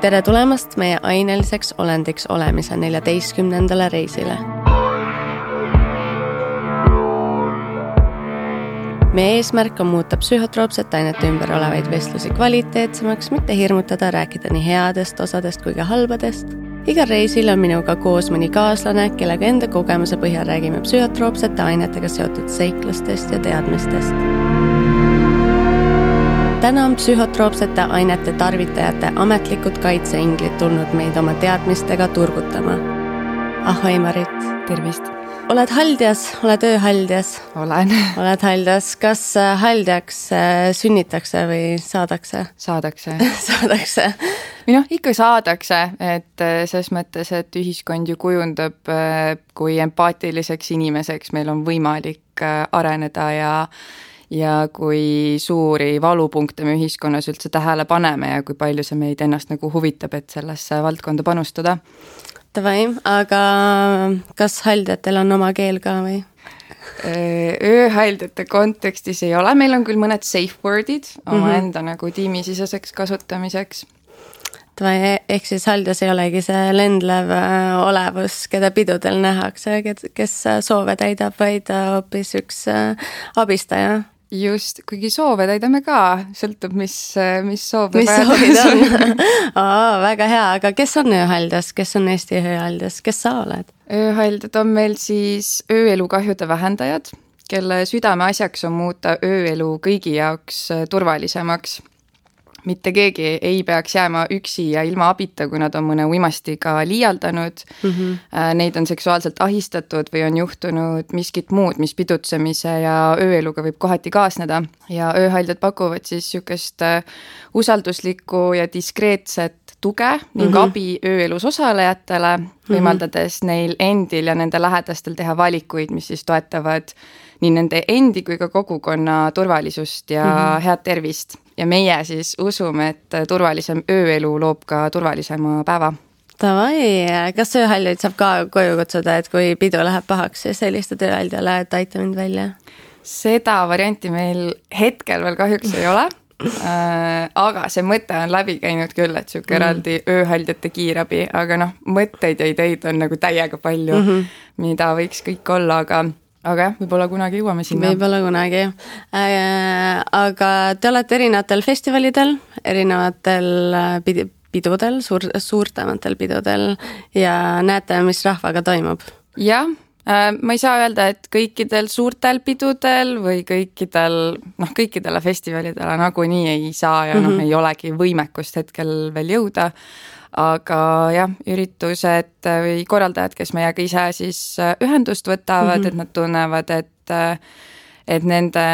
Tere tulemast meie aineliseks olendiks olemise 14. reisile. Meie eesmärk on muuta psühhotroopsete ainete ümber olevaid vestlusi kvaliteetsemaks, mitte hirmutada, rääkida nii headest osadest kui ka halbadest. Igal reisil on minuga koos mõni kaaslane, kellega enda kogemuse põhjal räägime psühhotroopsete ainetega seotud seiklustest ja teadmistest. Täna on psühhotroopsete ainete tarvitajate ametlikud kaitseinglid tulnud meid oma teadmistega turgutama. Ahoi Marit! Tervist! Oled haldjas? Oled ööhaldjas? Olen. Oled haldjas? Kas haldjaks sünnitakse või saadakse? Saadakse. Saadakse. Ikka saadakse, et ses mõttes, et ühiskond ju kujundab, kui empaatiliseks inimeseks meil on võimalik areneda ja kui suuri valupunkte me ühiskonnas üldse tähele paneme ja kui palju see meid ennast nagu huvitab, et sellesse valdkonda panustada. Tavai, aga kas haldjatel on oma keel ka või? Ööhaldjate kontekstis ei ole, meil on küll mõned safe wordid oma enda nagu tiimisiseseks kasutamiseks. Tavai, ehk siis haldjas ei olegi see lendlev olevus, keda pidudel nähakse, kes soove täidab, vaid hoopis üks abistaja. Just, kuigi soove täidame ka, sõltub, mis soove mis soovid on. Väga hea, aga kes on ööhaldjas? Kes on Eesti ööhaldjas? Kes sa oled? Ööhaldjad on meil siis ööelukahjude vähendajad, kelle südame asjaks on muuta ööelu kõigi jaoks turvalisemaks. Mitte keegi ei peaks jääma üksi ja ilma abita, kui nad on mõne uimastiga liialdanud. Neid on seksuaalselt ahistatud või on juhtunud miskit muud, mis pidutsemise ja ööeluga võib kohati kaasneda. Ja ööhaldjad pakuvad siis sükest usalduslikku ja diskreetset tuge ning abi ööelus osalejatele, võimaldades neil endil ja nende lähedastel teha valikuid, mis siis toetavad nii nende endi kui ka kogukonna turvalisust ja head tervist. Ja meie siis usume, et turvalisem ööelu loob ka turvalisema päeva. Tavai, kas ööhaldjaid saab ka koju kutsuda, et kui pidu läheb pahaks, siis helistad ööhaldjale, et aita mind välja? Seda varianti meil hetkel veel kahjuks ei ole, aga see mõte on läbi käinud küll, et süke eraldi ööhaldjate kiirabi, aga mõtteid ja ideid on nagu täiega palju, mida võiks kõik olla, aga jah, võib-olla kunagi jõuame sinna. Võib-olla kunagi. Aga te olete erinevatel festivalidel, erinevatel pidudel, suurtamatel pidudel ja näete, mis rahvaga toimub. Jah, ma ei saa öelda, et kõikidel suurtel pidudel või kõikidele festivalidele nagu nii ei saa ja ei olegi võimekust hetkel veel jõuda. Aga jah, üritused või korraldajad, kes meiega ise siis ühendust võtavad, et nad tunnevad, et nende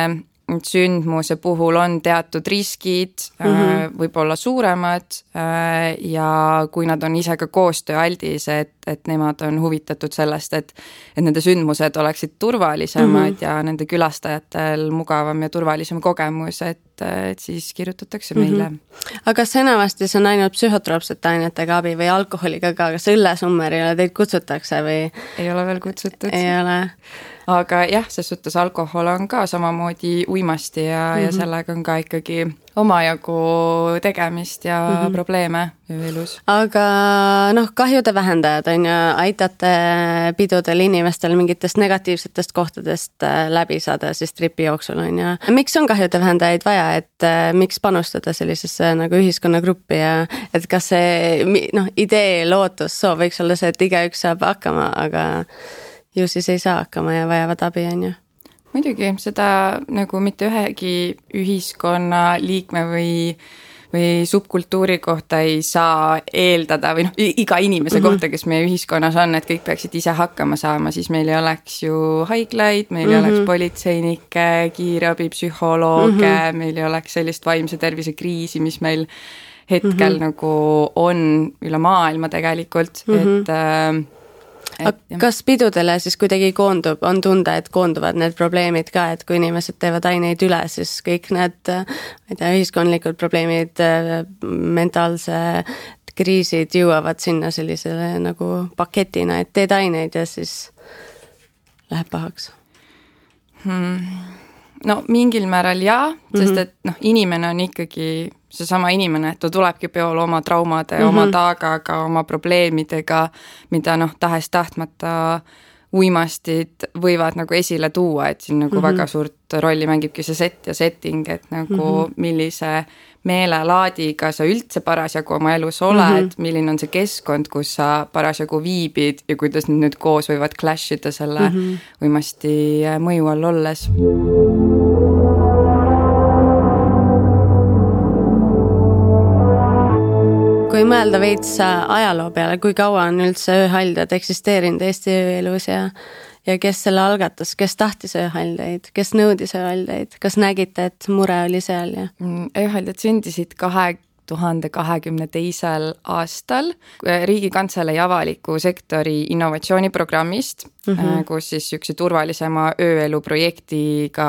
sündmuse puhul on teatud riskid, võib-olla suuremad ja kui nad on ise ka koostööaldis, et nemad on huvitatud sellest, et nende sündmused oleksid turvalisemad ja nende külastajatel mugavam ja turvalisem kogemus, et siis kirjutatakse meile. Aga kas enamasti see on ainult psühhotroopsete ainetega abi või alkoholiga ka, kas õllesummerile teid kutsutakse või? Ei ole veel kutsutud. Ei ole. Aga jah, ses suhtes alkohol on ka samamoodi uimasti ja sellega on ka ikkagi omajagu tegemist ja probleeme ööelus. Aga kahjude vähendajad on ju, aitate pidudel inimestel mingitest negatiivsetest kohtadest läbi saada siis tripi jooksul on ju. Miks on kahjude vähendajaid vaja, et miks panustada sellisesse nagu ühiskonnagruppi ja et kas see idee, lootus, soov võiks olla see, et igaüks saab hakkama, aga ju siis ei saa hakkama ja vajavad abi on ju. Muidugi, seda nagu mitte ühegi ühiskonna liikme või subkultuuri kohta ei saa eeldada või iga inimese kohta, kes meie ühiskonnas on, et kõik peaksid ise hakkama saama, siis meil ei oleks ju haiglaid, meil ei oleks politseinikke, kiirabi, psühholooge, meil ei oleks sellist vaimse tervise kriisi, mis meil hetkel nagu on üle maailma tegelikult, kas pidudele siis kuidagi on tunda, et koonduvad need probleemid ka, et kui inimesed teevad aineid üle, siis kõik need ühiskondlikud probleemid, mentaalse kriisid jõuavad sinna sellisele nagu paketina, et teed aineid ja siis läheb pahaks? no mingil määral jaa, sest et noh, inimene on ikkagi seesama inimene, et ta tulebki peole oma traumade, oma taagaga, oma probleemidega, mida noh, tahes tahtmata uimastid võivad nagu esile tuua, et siin nagu väga suurt rolli mängibki see set ja setting, et nagu millise meelelaadiga sa üldse parasjagu oma elus oled, milline on see keskkond, kus sa parasjagu viibid ja kuidas nüüd koos võivad clashida selle uimasti mõju all olles. Kui mõelda veits ajaloo peale, kui kaua on üldse ööhaldjad eksisteerinud Eesti ööelus ja kes selle algatas, kes tahtis ööhaldjaid, kes nõudis ööhaldjaid, kas nägite, et mure oli seal? Ööhaldjad sündisid 2022. aastal Riigikantselei avaliku sektori innovatsiooniprogrammist, kus siis üks turvalisema ööelu projektiga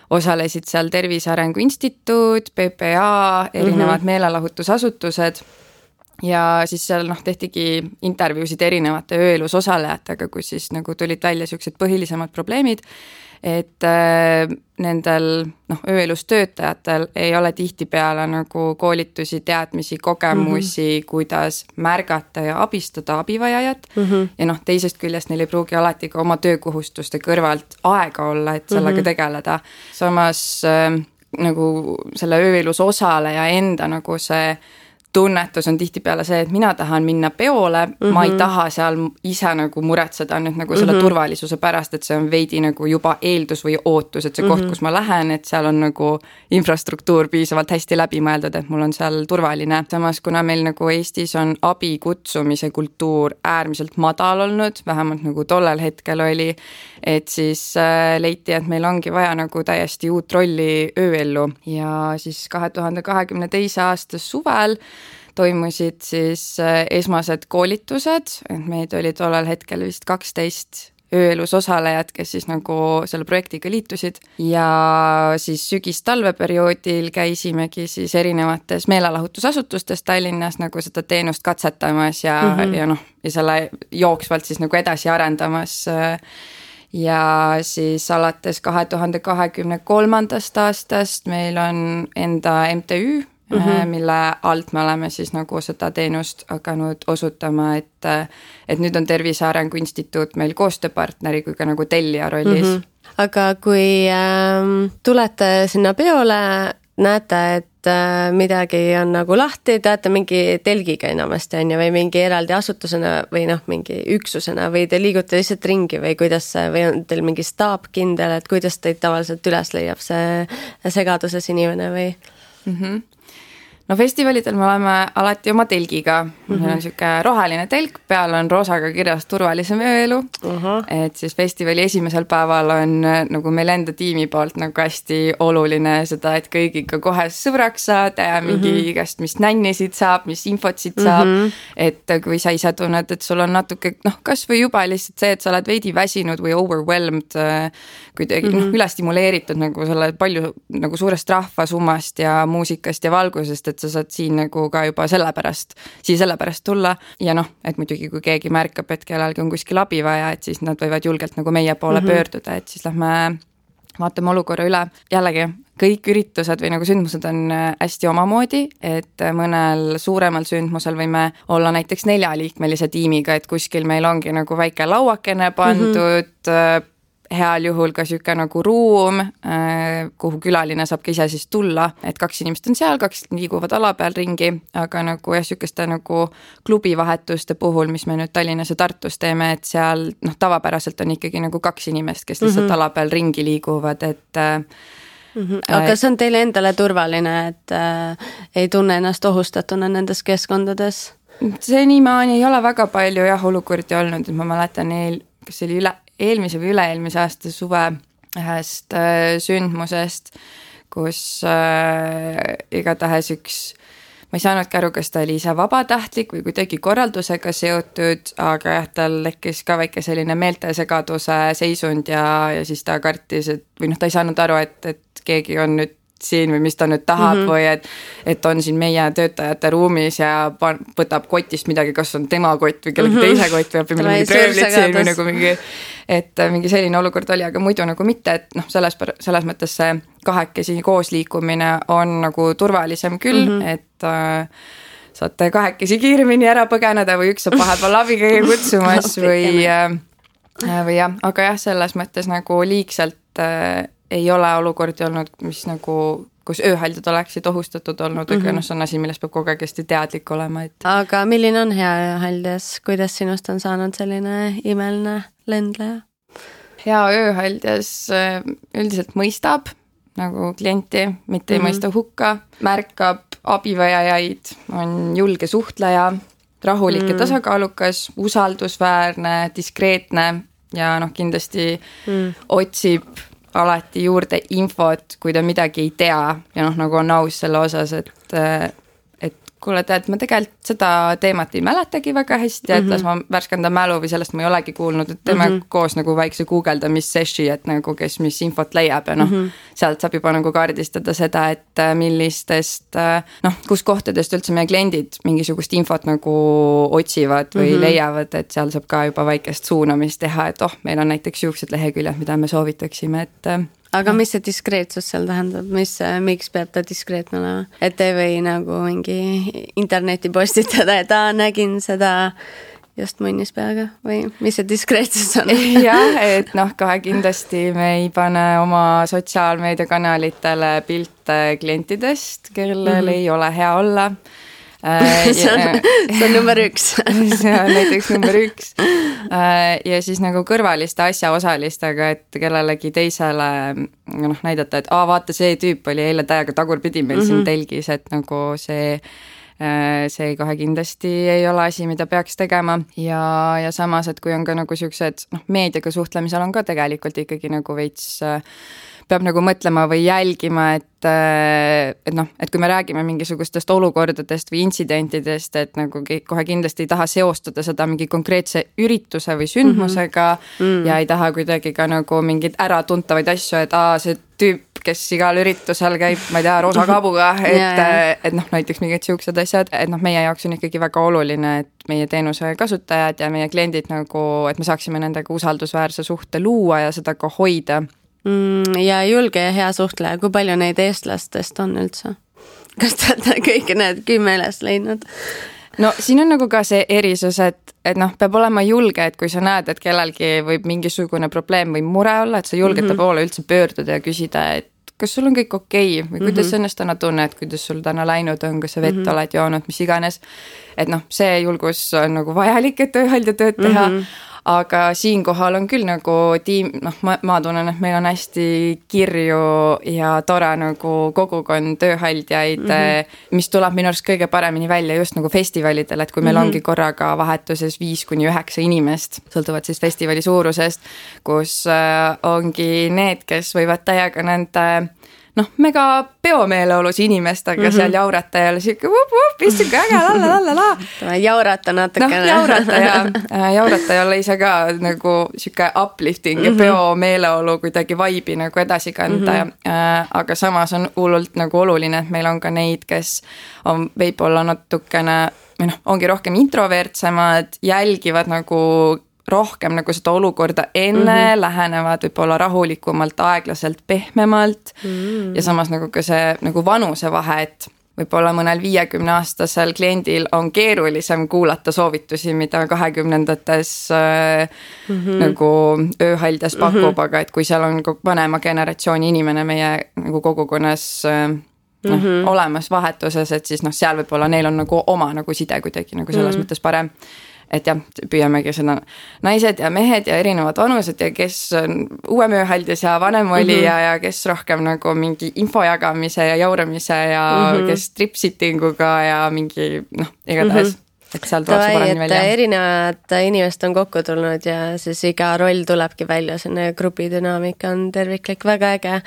osalesid seal Tervise Arengu Instituut, PPA, erinevad meelelahutusasutused ja siis seal tehtigi intervjuusid erinevate ööelus osalejatega, kus siis nagu tulid välja sellised põhilisemad probleemid, et nendel ööelus töötajatel ei ole tihtipeale nagu koolitusi, teadmisi, kogemusi, kuidas märgata ja abistada abivajajat ja teisest küljest neil ei pruugi alati ka oma töökohustuste kõrvalt aega olla, et sellega tegeleda. Samas nagu selle ööelus osaleja enda nagu see tunnetus on tihtipeale see, et mina tahan minna peole, ma ei taha seal ise nagu muretseda nüüd nagu selle turvalisuse pärast, et see on veidi nagu juba eeldus või ootus, et see koht, kus ma lähen, et seal on nagu infrastruktuur piisavalt hästi läbi mõeldud, et mul on seal turvaline. Samas, kuna meil nagu Eestis on abi kutsumise kultuur äärmiselt madal olnud, vähemalt nagu tollel hetkel oli, et siis leiti, et meil ongi vaja nagu täiesti uut rolli ööellu ja siis 2022. aasta suvel toimusid siis esmased koolitused, et meid oli tollel hetkel vist 12 ööelus osalejad, kes siis nagu selle projektiga liitusid ja siis sügis-talveperioodil käisimegi siis erinevates meelelahutusasutustes Tallinnas nagu seda teenust katsetamas ja selle jooksvalt siis nagu edasi arendamas ja siis alates 2023. aastast meil on enda MTÜ, mille alt me oleme siis nagu seda teenust hakanud osutama, et nüüd on Tervise Arengu Instituut meil koostööpartneri kui ka nagu tellija rollis. Aga kui tulete sinna peole, näete, et midagi on nagu lahti, teate mingi telgiga enamasti on ja või mingi eraldi asutusena või mingi üksusena või te liigute lihtsalt ringi või kuidas või on teil mingi staap kindel, et kuidas teid tavaliselt üles leiab see segaduses inimene või? No festivalidel me oleme alati oma telgiga, meil on siuke roheline telk, peal on roosaga kirjas turvalisem ööelu, et siis festivali esimesel päeval on nagu meil enda tiimi poolt nagu hästi oluline seda, et kõigiga kohe sõbraks saada ja mingi igast, mis nännisid saab, mis infot siit saab, et kui sa ise tunned, et sul on natuke, kas või juba lihtsalt see, et sa oled veidi väsinud või overwhelmed, kuidagi üle stimuleeritud nagu selle palju nagu suurest rahvasummast ja muusikast ja valgusest, et sa saad siin nagu ka juba sellepärast tulla ja et muidugi kui keegi märkab, et kellelgi on kuskil abi vaja, et siis nad võivad julgelt nagu meie poole pöörduda, et siis lähme vaatame olukorra üle. Jällegi, kõik üritused või nagu sündmused on hästi omamoodi, et mõnel suuremal sündmusel võime olla näiteks 4-liikmelise tiimiga, et kuskil meil ongi nagu väike lauakene pandud, heal juhul ka siuke nagu ruum, kuhu külaline saab ka ise siis tulla, et 2 inimest on seal, 2 liiguvad ala peal ringi, aga nagu sükeste nagu klubivahetuste puhul, mis me nüüd Tallinnas ja Tartus teeme, et seal tavapäraselt on ikkagi nagu 2 inimest, kes lihtsalt ala peal ringi liiguvad, et aga see on teile endale turvaline, et ei tunne ennast ohustatuna nendes keskkondades? Senimaani ei ole väga palju olukordi olnud, et ma mäletan kas see oli eelmise või üle-eelmise aasta suve ühest sündmusest, kus igatahes ma ei saanudki aru, kas ta oli ise vabatahtlik või kuidagi korraldusega seotud, aga tal tekkis ka väike selline meeltesegaduse seisund ja siis ta kartis, et või ta ei saanud aru, et keegi on nüüd siin või mis ta nüüd tahab või et on siin meie töötajate ruumis ja võtab kotist midagi, kas on tema kott või kellegi teise kott või õpib mingid röövlid siin või nagu mingi selline olukord oli, aga muidu nagu mitte, et noh, selles mõttes see kahekesi koos liikumine on nagu turvalisem küll, et saate kahekesi kiiremini ära põgeneda või üks saab vahepeal abikäia kutsumas või jah, aga jah, selles mõttes nagu liigselt ei ole olukordi olnud, mis nagu, kus ööhaldjad oleksid ohustatud olnud, aga see on asi, millest peab kogu aeg hästi teadlik olema. Aga milline on hea ööhaldjas? Kuidas sinust on saanud selline imeline lendleja? Hea ööhaldjas üldiselt mõistab nagu klienti, mitte ei mõista hukka, märkab abivajajaid, on julge suhtleja, rahulik ja tasakaalukas, usaldusväärne, diskreetne ja kindlasti otsib alati juurde infot, kui ta midagi ei tea ja nagu on aus selle osas, et kuule, tead, ma tegelikult seda teemat ei mäletagi väga hästi, et las ma värskenda mälu või sellest ma ei olegi kuulnud, et teeme koos nagu väikse guugeldamis-sessi, et nagu kes mis infot leiab ja sealt saab juba nagu kaardistada seda, et millistest, kus kohtadest üldse meie kliendid mingisugust infot nagu otsivad või leiavad, et seal saab ka juba väikest suunamist teha, et meil on näiteks juuksed leheküljed, mida me soovitaksime, et aga mis see diskreetsus seal tähendab, miks peab ta diskreetne olema? Et ei või nagu mingi interneti postitada, et nägin seda just munnis peaga või mis see diskreetsus on? Jah, et kohe kindlasti me ei pane oma sotsiaalmeediakanalitele pilte klientidest, kellel ei ole hea olla. See on number 1. See on näiteks number 1. Ja siis nagu kõrvaliste asjaosalistega, et kellelegi teisele näidata, et vaata, see tüüp oli eile täiega tagurpidi meil siin telgis, et nagu see kohe kindlasti ei ole asi, mida peaks tegema ja samas, et kui on ka nagu siuksed meediaga suhtlemisel on ka tegelikult ikkagi nagu veits peab nagu mõtlema või jälgima, et kui me räägime mingisugustest olukordadest või intsidentidest, et nagu kohe kindlasti ei taha seostada seda mingi konkreetse ürituse või sündmusega ja ei taha kuidagi ka nagu mingeid äratuntavaid asju, et see tüüp, kes igal üritusel käib, ma ei tea, roosa kaabuga, et näiteks mingid siuksed asjad, et meie jaoks on ikkagi väga oluline, et meie teenuse kasutajad ja meie kliendid nagu, et me saaksime nendega usaldusväärse suhte luua ja seda ka hoida. Ja julge ja hea suhtleja, kui palju neid eestlastest on üldse? Kas te olete kõik need 10 üles leidnud? No siin on nagu ka see erisus, et peab olema julge, et kui sa näed, et kellelgi võib mingisugune probleem või mure olla, et sa julged ta poole üldse pöörduda ja küsida, et kas sul on kõik okei või kuidas sa ennast täna tunned, kuidas sul täna läinud on, kas sa vett oled joonud, mis iganes. Et see julgus on nagu vajalik, et ööhaldja tööd teha. Aga siinkohal on küll nagu tiim, ma tunnen, et meil on hästi kirju ja tore nagu kogukond tööhaldjaid, mis tuleb minu arust kõige paremini välja just nagu festivalidel, et kui meil ongi korraga vahetuses 5-9 inimest, sõltuvad siis festivali suurusest, kus ongi need, kes võivad täiega nende mega peomeeleolus inimestega seal jaurata ja siuke istuge äge, la. Jaurata natukene. Jaurata ja olla ise ka nagu siuke uplifting ja peomeeleolu kuidagi vaibi nagu edasi kanda. Aga samas on hullult nagu oluline, et meil on ka neid, kes on võib-olla natukene, ongi rohkem introvertsemad, jälgivad nagu rohkem nagu seda olukorda enne, lähenevad võib-olla rahulikumalt, aeglaselt, pehmemalt ja samas nagu ka see nagu vanusevahe, et võib-olla mõnel 50-aastasel kliendil on keerulisem kuulata soovitusi, mida 20-ndates nagu ööhaldjas pakub, aga et kui seal on vanema generatsiooni inimene meie nagu kogukonnas olemas vahetuses, et siis seal võib-olla neil on nagu oma nagu side kuidagi nagu selles mõttes parem. Et jah, püüamegi seda naised ja mehed ja erinevad vanused ja kes on uuem ööhaldjas ja vanem oli ja kes rohkem nagu mingi info jagamise ja jauramise ja kes trip-sittinguga ja mingi igatahes, et seal tuleb see paremini välja. Erinevad inimesed on kokku tulnud ja siis iga roll tulebki välja, selline grupidünaamika on terviklik, väga äge.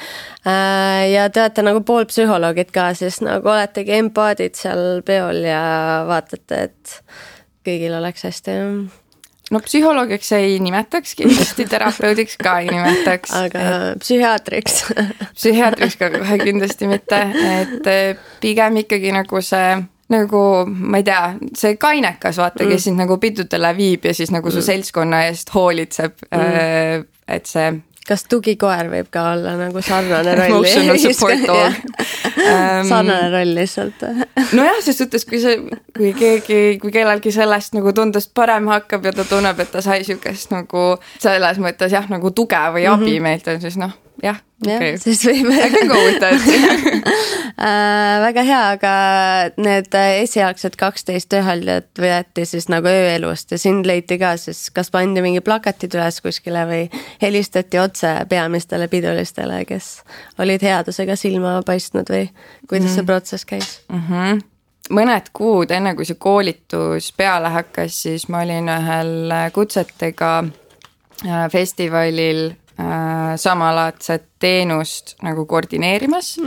Ja te olete nagu pool psühholoogid ka, siis nagu oletegi empaadid seal peol ja vaatate, et kõigil oleks hästi. no psühholoogiks ei nimetaks, kindlasti terapeudiks ka ei nimetaks. Aga psühhiaatriks? Psühhiaatriks ka kohe kindlasti mitte, et pigem ikkagi nagu see, nagu ma ei tea, see kainekas, vaata, kes sind nagu pidudele viib ja siis nagu su seltskonna eest hoolitseb, et see... Kas tugikoer võib ka olla nagu sarnane roll? Emotional support dog. Sarnane roll lihtsalt. Nojah, ses suhtes, kui kellelgi sellest nagu tundest parem hakkab ja ta tunneb, et ta sai sükest nagu selles mõttes jah, nagu tuge või abi meilt on, siis noh, jah, okay. Siis võib... I can go with that. Väga hea, aga need esialgsed 12 tööhaldjat võeti siis nagu ööelust ja sind leiti ka siis, kas pandi mingi plakatid üles kuskile või helistati otse peamistele pidulistele, kes olid headusega silma paistnud või kuidas see protsess käis? Mõned kuud enne, kui see koolitus peale hakkas, siis ma olin ühel kutsetega festivalil samalaadset teenust nagu koordineerimas,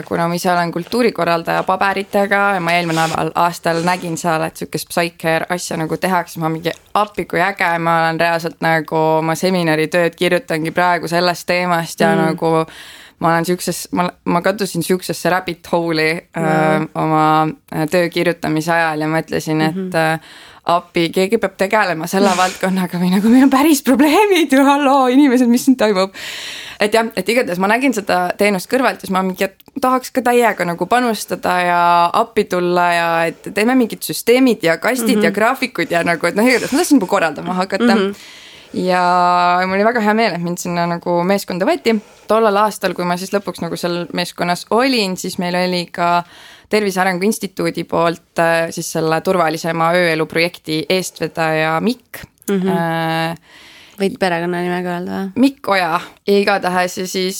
kuna ma ise olen kultuurikorraldaja paberitega ja ma eelmine aastal nägin seal, et sükest psycare asja nagu tehakse, ma mingi appi kui äge, ma olen reaalselt nagu oma seminaritööd kirjutangi praegu sellest teemast ja nagu ma olen ma kattusin süksesse rabbit hole'i oma töö kirjutamise ajal ja mõtlesin, et appi, keegi peab tegelema selle valdkonnaga või nagu meil on päris probleemid ja halloo, inimesed, mis siin toimub. Et jah, et igatahes ma nägin seda teenust kõrvalt ja siis ma mingi, et tahaks ka täiega nagu panustada ja appi tulla ja et teeme mingid süsteemid ja kastid ja graafikud ja nagu, et noh, igatahes ma tahtsin juba korraldama hakata. Ja mul oli väga hea meel, et mind sinna nagu meeskonda võeti. Tollal aastal, kui ma siis lõpuks nagu seal meeskonnas olin, siis meil oli ka Tervise Arengu Instituudi poolt siis selle turvalisema ööelu projekti eestvedaja Mikk. Võid perekonna nimega öelda? Mikk Oja. Igatahes ja siis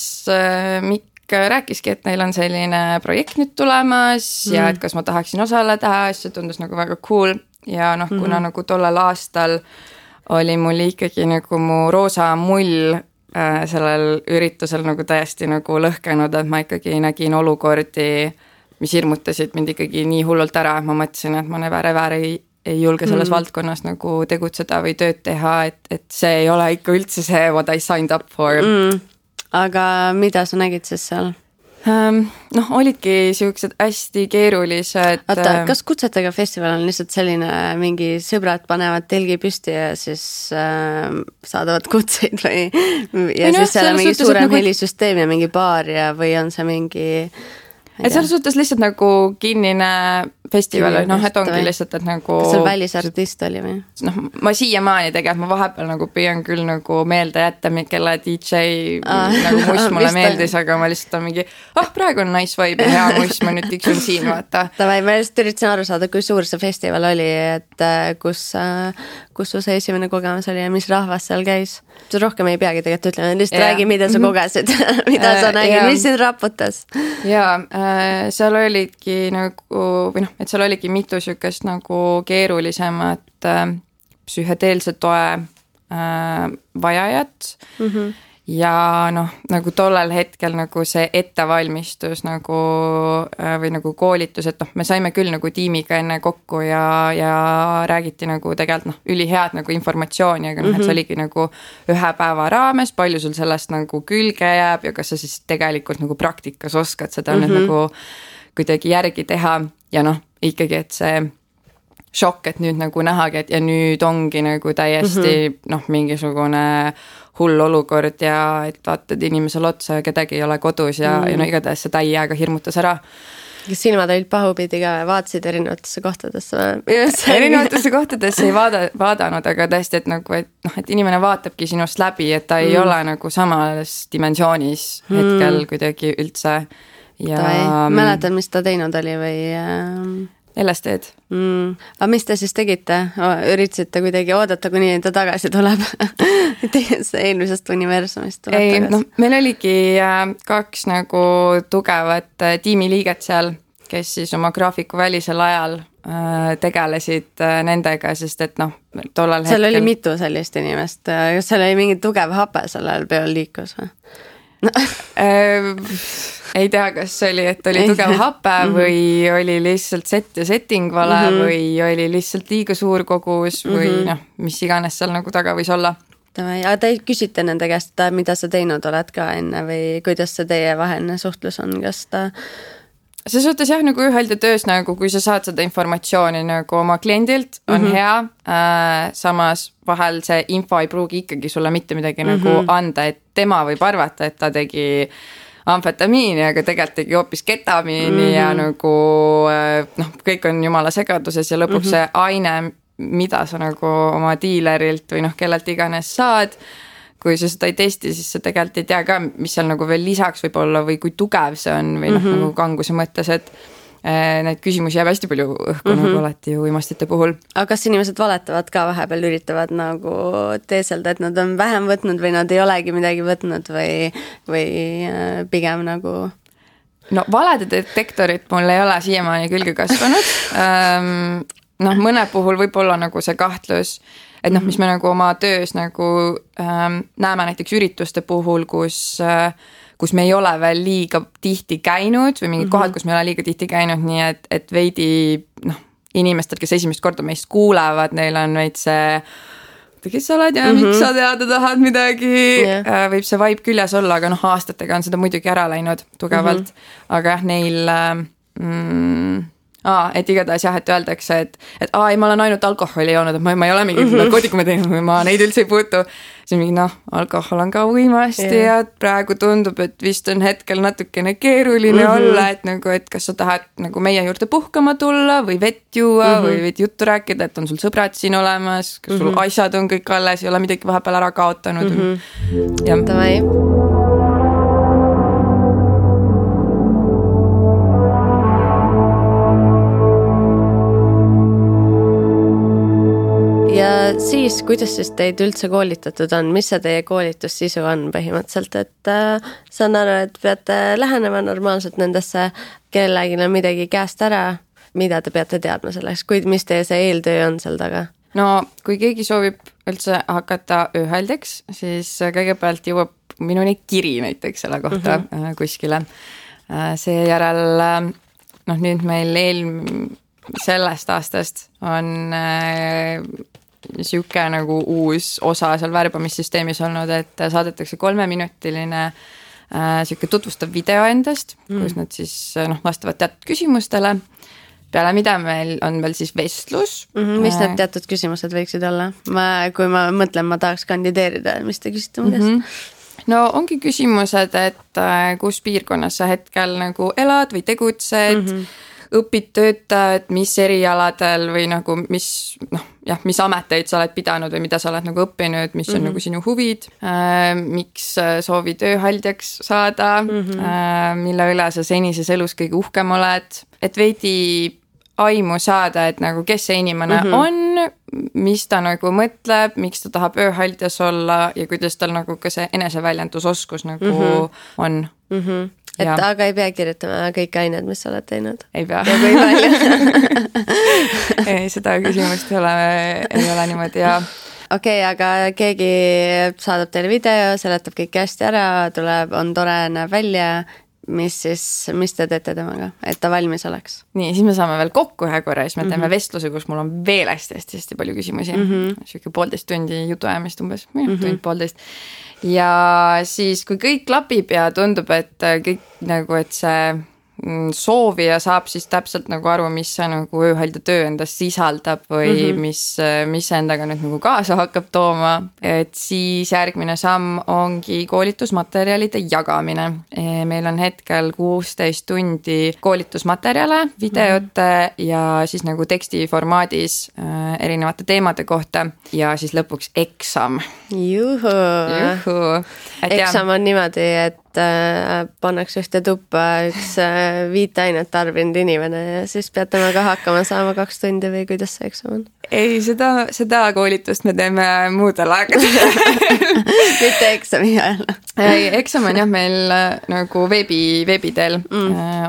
Mikk rääkiski, et neil on selline projekt nüüd tulemas ja et kas ma tahaksin osaleda, see tundus nagu väga cool ja noh, kuna nagu tollal aastal oli mul ikkagi nagu mu roosa mull sellel üritusel nagu täiesti nagu lõhkenud, et ma ikkagi nägin olukordi, mis hirmutasid mind ikkagi nii hullult ära, et ma mõtlesin, et ma never ei julge selles valdkonnas nagu tegutseda või tööd teha, et see ei ole ikka üldse see, what I signed up for. Aga mida sa nägid siis seal? Noh, olidki siuksed hästi keerulised. Oota, kas Kutsetega festival on lihtsalt selline mingi sõbrad panevad telgi püsti ja siis saadavad kutseid või ja siis seal on mingi suurem helisüsteem ja mingi baar ja või on see mingi... Et selles suhtes lihtsalt nagu kinnine festival, noh, et ongi lihtsalt, et nagu... Kas seal välisartist oli või? Noh, ma siiamaani tegelikult, ma vahepeal nagu püüan küll nagu meelde jätta, kelle DJ nagu muss mulle meeldis, aga ma lihtsalt on mingi, praegu on nice vibe ja hea muss, ma nüüd tiksun siin, vaata. Tavai, ma just üritasin aru saada, kui suur see festival oli, et kus su see esimene kogemus oli ja mis rahvas seal käis. Sa rohkem ei peagi tegelikult ütlema, lihtsalt räägi, mida sa kogesid, mida sa nägid, mis sind raputas. Jaa, seal olidki nagu, või noh, et seal oligi mitu sükest nagu keerulisemat psühhedeelse toe vajajat ja noh, nagu tollel hetkel nagu see ettevalmistus nagu või nagu koolitus, et noh, me saime küll nagu tiimiga enne kokku ja räägiti nagu tegelikult noh, ülihead nagu informatsiooni, aga noh, et see oligi nagu ühe päeva raames, palju sul sellest nagu külge jääb ja kas sa siis tegelikult nagu praktikas oskad seda nüüd nagu kuidagi järgi teha ja noh, ikkagi, et see šokk, et nüüd nagu nähagi, et ja nüüd ongi nagu täiesti noh, mingisugune hull olukord ja et vaatad inimesele otsa ja kedagi ei ole kodus ja no igatahes see täiega hirmutas ära. Kas silmad olid pahupidi ka, vaatasid erinevatesse kohtadesse? Erinevatesse kohtadesse ei vaadanud, aga tõesti, et nagu, et noh, et inimene vaatabki sinust läbi, et ta ei ole nagu samas dimensioonis hetkel kuidagi üldse. Ja... Mäletad, mis ta teinud oli või... LSD-d. Aga mis te siis tegite? Üritasite kuidagi oodata, kuni ta tagasi tuleb eelmisest universumist tuleb tagasi? No, meil oligi 2 nagu tugevat tiimiliiget seal, kes siis oma graafiku välisel ajal tegelesid nendega, sest et noh, tollal seal oli mitu sellist inimest, kas seal oli mingi tugev hape sellel peal liikus või? Ei tea, kas oli, et oli tugev hape või oli lihtsalt set ja setting vale või oli lihtsalt liiga suur kogus või noh, mis iganes seal nagu taga võis olla. Aga te küsite nende käest, mida sa teinud oled ka enne või kuidas see teie vaheline suhtlus on, kas ta... See suhtes jah, nagu ühelda töös, nagu kui sa saad seda informatsiooni nagu oma kliendilt, on hea, samas vahel see info ei pruugi ikkagi sulle mitte midagi nagu anda, et tema võib arvata, et ta tegi amfetamiini, aga tegelikult tegi hoopis ketamiini ja nagu noh, kõik on jumala segaduses ja lõpuks see aine, mida sa nagu oma diilerilt või noh, kellelt iganes saad, kui sa seda ei testi, siis sa tegelikult ei tea ka, mis seal nagu veel lisaks võib olla või kui tugev see on või noh, nagu kanguse mõttes, et neid küsimusi jääb hästi palju õhku nagu alati ju uimastite puhul. Aga kas inimesed valetavad ka vahepeal, üritavad nagu teeselda, et nad on vähem võtnud või nad ei olegi midagi võtnud või pigem nagu... No valede detektorit mul ei ole siiamaani külge kasvanud. Noh, mõne puhul võib olla nagu see kahtlus, et noh, mis me nagu oma töös nagu näeme näiteks ürituste puhul, kus me ei ole veel liiga tihti käinud või mingid kohad, kus me ei ole liiga tihti käinud, nii et veidi noh, inimestel, kes esimest korda meist kuulevad, neil on veid see, kes sa oled ja miks sa teada tahad midagi, võib see vibe küljes olla, aga noh, aastatega on seda muidugi ära läinud tugevalt, aga jah, neil... et igatahes jah, et öeldakse, et ei, ma olen ainult alkoholi joonud, et ma ei ole mingid narkootikume teinud või ma neid üldse ei puutu. Siis mingi alkohol on ka uimasti ja praegu tundub, et vist on hetkel natukene keeruline olla, et nagu, et kas sa tahad nagu meie juurde puhkama tulla või vett juua või võid juttu rääkida, et on sul sõbrad siin olemas, kas sul asjad on kõik alles, ei ole midagi vahepeal ära kaotanud. Ja. Davai. Ja siis, kuidas siis teid üldse koolitatud on, mis see teie koolitussisu on põhimõtteliselt, et saan aru, et peate lähenema normaalselt nendesse, kellelegi on midagi käest ära, mida te peate teadma selleks, mis teie see eeltöö on seal taga? No, kui keegi soovib üldse hakata ööhaldjaks, siis kõigepealt jõuab minuni kiri näiteks selle kohta kuskile. Seejärel, noh nüüd meil sellest aastast on siuke nagu uus osa seal värbamissüsteemis olnud, et saadetakse 3-minutiline siuke tutvustav video endast, kus nad siis vastavad teatud küsimustele. Peale mida meil on veel siis vestlus. Mis need teatud küsimused võiksid olla? Kui ma mõtlen, ma tahaks kandideerida, mis te küsite mu käest? No ongi küsimused, et kus piirkonnas sa hetkel nagu elad või tegutsed, õpid, töötad, mis erialadel või nagu mis ameteid sa oled pidanud või mida sa oled nagu õppinud, mis on nagu sinu huvid, miks soovid ööhaldjaks saada, mille üle sa senises elus kõige uhkem oled, et veidi aimu saada, et nagu kes see inimene on, mis ta nagu mõtleb, miks ta tahab ööhaldjas olla ja kuidas tal nagu ka see eneseväljendusoskus nagu on. Et aga ei pea kirjutama kõik ained, mis sa oled teinud? Ei pea. Ja kui palju? Ei, seda küsimust ei ole niimoodi ja... Okei, aga keegi saadab teile video, seletab kõik hästi ära, on tore, näeb välja, mis te teete temaga, et ta valmis oleks? Nii, siis me saame veel kokku ühe korra, siis me teeme vestluse, kus mul on veel hästi palju küsimusi. Siuke 1,5 tundi jutuajamist umbes, tund 1,5. Ja siis, kui kõik klapib ja tundub, et kõik nagu, et see soovija saab siis täpselt nagu aru, mis see nagu ööhaldja töö endast sisaldab või mis endaga nüüd nagu kaasa hakkab tooma, et siis järgmine samm ongi koolitusmaterjalide jagamine. Meil on hetkel 16 tundi koolitusmaterjale, videote ja siis nagu teksti formaadis erinevate teemade kohta ja siis lõpuks eksam. Juhu. Eksam on niimoodi, et pannakse ühte tuppa üks 5 ainet tarbinud inimene ja siis pead temaga hakkama saama 2 tundi või kuidas see eksam on? Ei, seda koolitust me teeme muudel aegadel. Mitte eksami ajal. Eksam on jah meil nagu veebiteel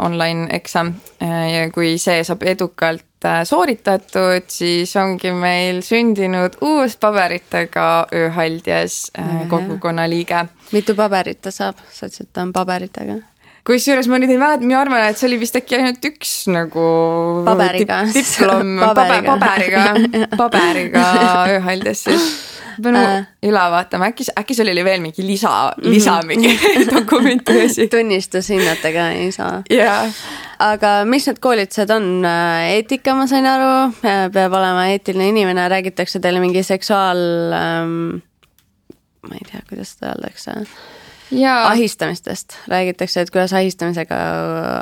online eksam ja kui see saab edukalt sooritatud, siis ongi meil sündinud uus paberitega ööhaldjas kogukonna liige. Mitu paberit ta saab? Sa ütlesid, ta on paberitega. Kusjuures ma nüüd ei mäleta, ma arvan, et see oli vist äkki ainult üks nagu paberiga. Diplom, paberiga ööhaldjas siis. Pean üle vaatama, äkki sul oli veel mingi lisa mingi dokumentuasi. Tunnistushinnatega ei saa. Yeah. Aga mis need koolitused on? Eetika, ma sain aru, peab olema eetiline inimene, räägitakse teile mingi seksuaal... ma ei tea, kuidas seda öeldakse. Ahistamistest räägitakse, et kuidas ahistamisega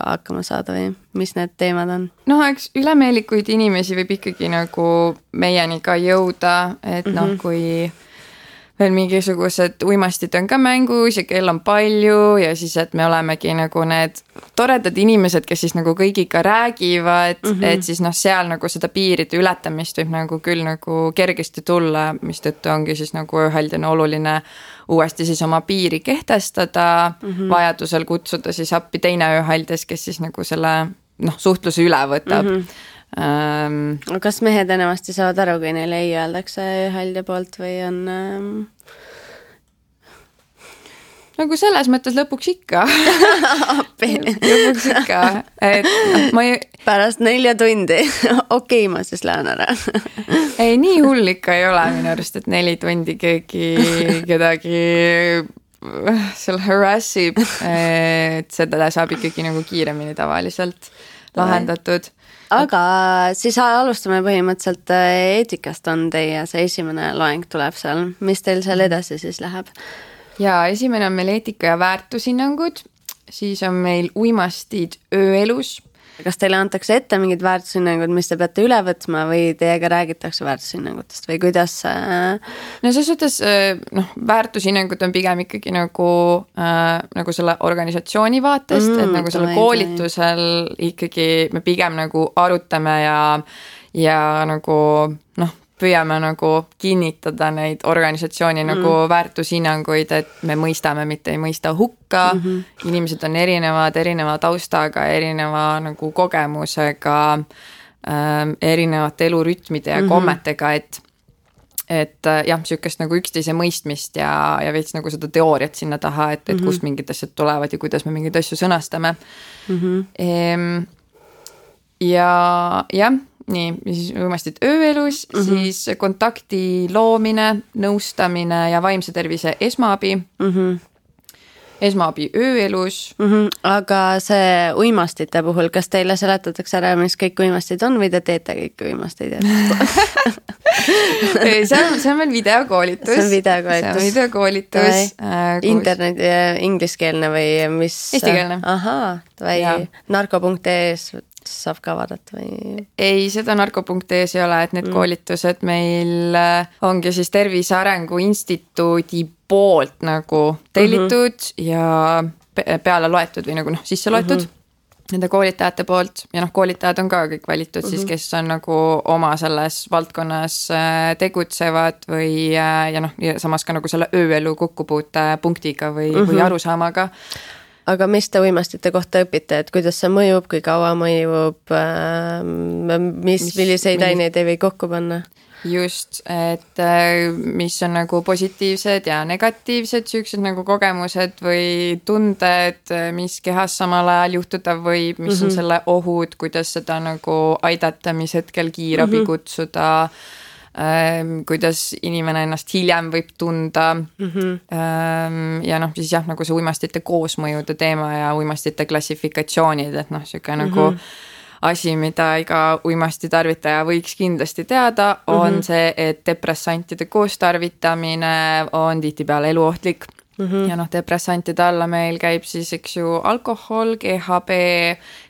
hakkama saada või mis need teemad on? No, eks ülemeelikuid inimesi võib ikkagi nagu meieni ka jõuda, et kui veel mingisugused uimastid on ka mängus ja kell on palju ja siis, et me olemegi nagu need toredad inimesed, kes siis nagu kõigiga räägivad, et siis seal nagu seda piiride ületamist võib nagu küll nagu kergesti tulla, mis tõttu ongi siis nagu ööhaldjana oluline uuesti siis oma piiri kehtestada, vajadusel kutsuda siis appi teine ööhaldjas, kes siis nagu selle suhtluse üle võtab. Kas mehed enamasti saavad aru, kui neile ei öeldakse ööhaldja poolt või on... Nagu selles mõttes lõpuks ikka. Lõpuks ikka. Et Pärast 4 tundi. Okei, ma siis lähen ära. Ei, nii hull ikka ei ole minu arust, et 4 tundi kedagi seal harassib. Et seda saab ikkagi nagu kiiremini tavaliselt lahendatud. Aga siis alustame põhimõtteliselt eetikast on teie, see esimene loeng tuleb seal. Mis teil seal edasi siis läheb? Ja esimene on meil eetika ja väärtushinnangud, siis on meil uimastid ööelus. Kas teile antakse ette mingid väärtushinnangud, mis te peate üle võtma või teiega räägitakse väärtushinnangutest või kuidas? No selles suhtes väärtushinnangud on pigem ikkagi nagu selle organisatsiooni vaatest, et nagu selle koolitusel ikkagi me pigem nagu arutame ja nagu püüame nagu kinnitada neid organisatsiooni nagu väärtushinnanguid, et me mõistame, mitte ei mõista hukka. Inimesed on erineva taustaga, erineva nagu kogemusega, erinevate elurütmide ja kommetega, et jah, sükest nagu üksteise mõistmist ja veits nagu seda teooriat sinna taha, et kust mingid asjad tulevad ja kuidas me mingeid asju sõnastame. Ja jah, nii, siis uimastid ööelus, siis kontakti loomine, nõustamine ja vaimse tervise esmaabi. Esmaabi ööelus. Aga see uimastite puhul, kas teile seletatakse ära, mis kõik uimastid on või te teete kõik uimastid? See on veel videokoolitus. See on videokoolitus. Internet, ingliskeelne või mis? Eestikeelne. Ahaa, või narko.ee-s saab ka vaadata või? Ei, seda narko.ee-s ei ole, et need koolitused meil ongi siis Tervise Arengu Instituudi poolt nagu tellitud ja peale loetud või nagu sisse loetud nende koolitajate poolt ja koolitajad on ka kõik valitud siis, kes on nagu oma selles valdkonnas tegutsevad või ja samas ka nagu selle ööelu kokkupuute punktiga või arusaamaga. Aga mis te uimastite kohta õpite, et kuidas see mõjub, kui kaua mõjub, milliseid aineid ei või kokku panna? Just, et mis on nagu positiivsed ja negatiivsed süüksed nagu kogemused või tunded, mis kehas samal ajal juhtuda võib, mis on selle ohud, kuidas seda nagu aidata, mis hetkel kiirabi kutsuda, kuidas inimene ennast hiljem võib tunda ja siis jah, nagu see uimastite koosmõjude teema ja uimastite klassifikatsioonid, et siuke nagu asi, mida iga uimasti tarvitaja võiks kindlasti teada, on see, et depressantide koostarvitamine on tihtipeale eluohtlik ja depressantide alla meil käib siis, eks ju, alkohol, GHB,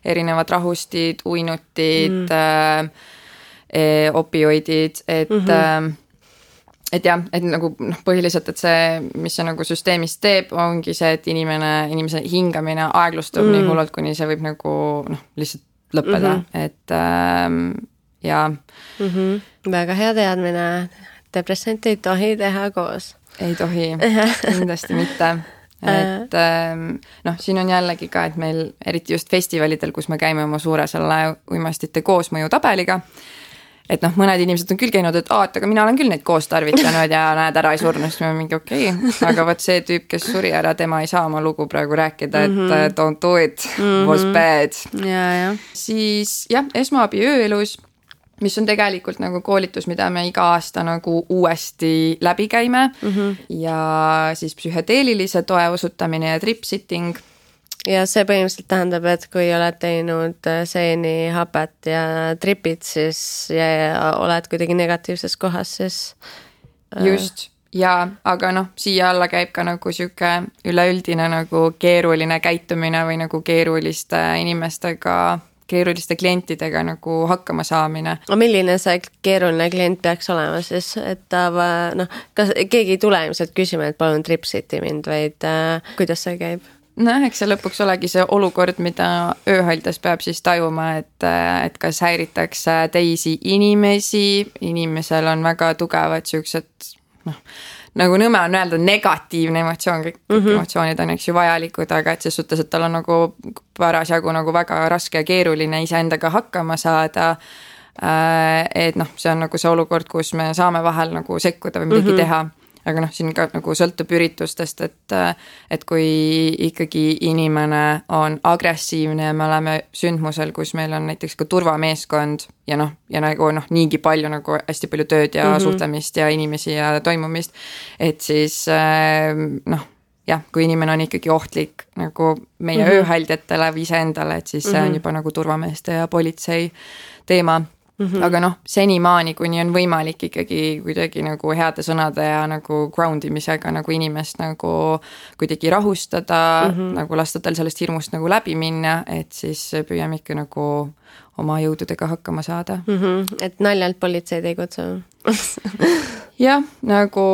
erinevad rahustid, uinutid, opioidid, et jah, et nagu põhiliselt, et see, mis see nagu süsteemis teeb, ongi see, et inimese hingamine aeglustub nii hullult, kuni see võib nagu lihtsalt lõppeda, et ja. Väga hea teadmine, depressant ei tohi teha koos. Ei tohi, kindlasti mitte. et noh, siin on jällegi ka, et meil eriti just festivalidel, kus me käime oma suure selle uimastite koosmõju tabeliga, et noh, mõned inimesed on küll käinud, et aga mina olen küll neid koos tarvitanud ja näed, ära ei surnud, siis me mingi okei. Aga võt see tüüp, kes suri ära, tema ei saa oma lugu praegu rääkida, et don't do it, was bad. Ja. Siis jah, esmaabi ööelus, mis on tegelikult nagu koolitus, mida me iga aasta nagu uuesti läbi käime ja siis psühhedeelilise toe osutamine ja trip-sitting. Ja see põhimõtteliselt tähendab, et kui oled teinud seeni, hapet ja tripid, siis ja oled kuidagi negatiivses kohas, siis... Just, ja aga noh, siia alla käib ka nagu siuke üleüldine nagu keeruline käitumine või nagu keeruliste inimestega, keeruliste klientidega nagu hakkama saamine. Milline see keeruline klient peaks olema siis, et ta kas keegi ei tule ilmselt küsima, et palun trip-siti mind, vaid kuidas see käib? Eks see lõpuks olegi see olukord, mida ööhaldes peab siis tajuma, et kas häiritakse teisi inimesi, inimesel on väga tugevad siuksed, nagu nõme on öelda negatiivne emotsioon, kõik emotsioonid on eks ju vajalikud, aga et ses suhtes, et tal on nagu parasjagu nagu väga raske ja keeruline iseendaga hakkama saada, et noh, see on nagu see olukord, kus me saame vahel nagu sekkuda või midagi teha. Aga noh, siin ka nagu sõltub üritustest, et kui ikkagi inimene on agressiivne ja me oleme sündmusel, kus meil on näiteks ka turvameeskond ja nagu niigi palju nagu hästi palju tööd ja suhtlemist ja inimesi ja toimumist, et siis jah, kui inimene on ikkagi ohtlik nagu meie ööhaldjatele või iseendale, et siis see on juba nagu turvameeste ja politsei teema. Aga noh, senimaani, kuni on võimalik ikkagi kuidagi nagu heade sõnade ja nagu groundimisega nagu inimest nagu kuidagi rahustada, nagu lasta tal sellest hirmust nagu läbi minna, et siis püüame ikka nagu oma jõududega hakkama saada. Et naljalt politseid ei kutsu? Jah, nagu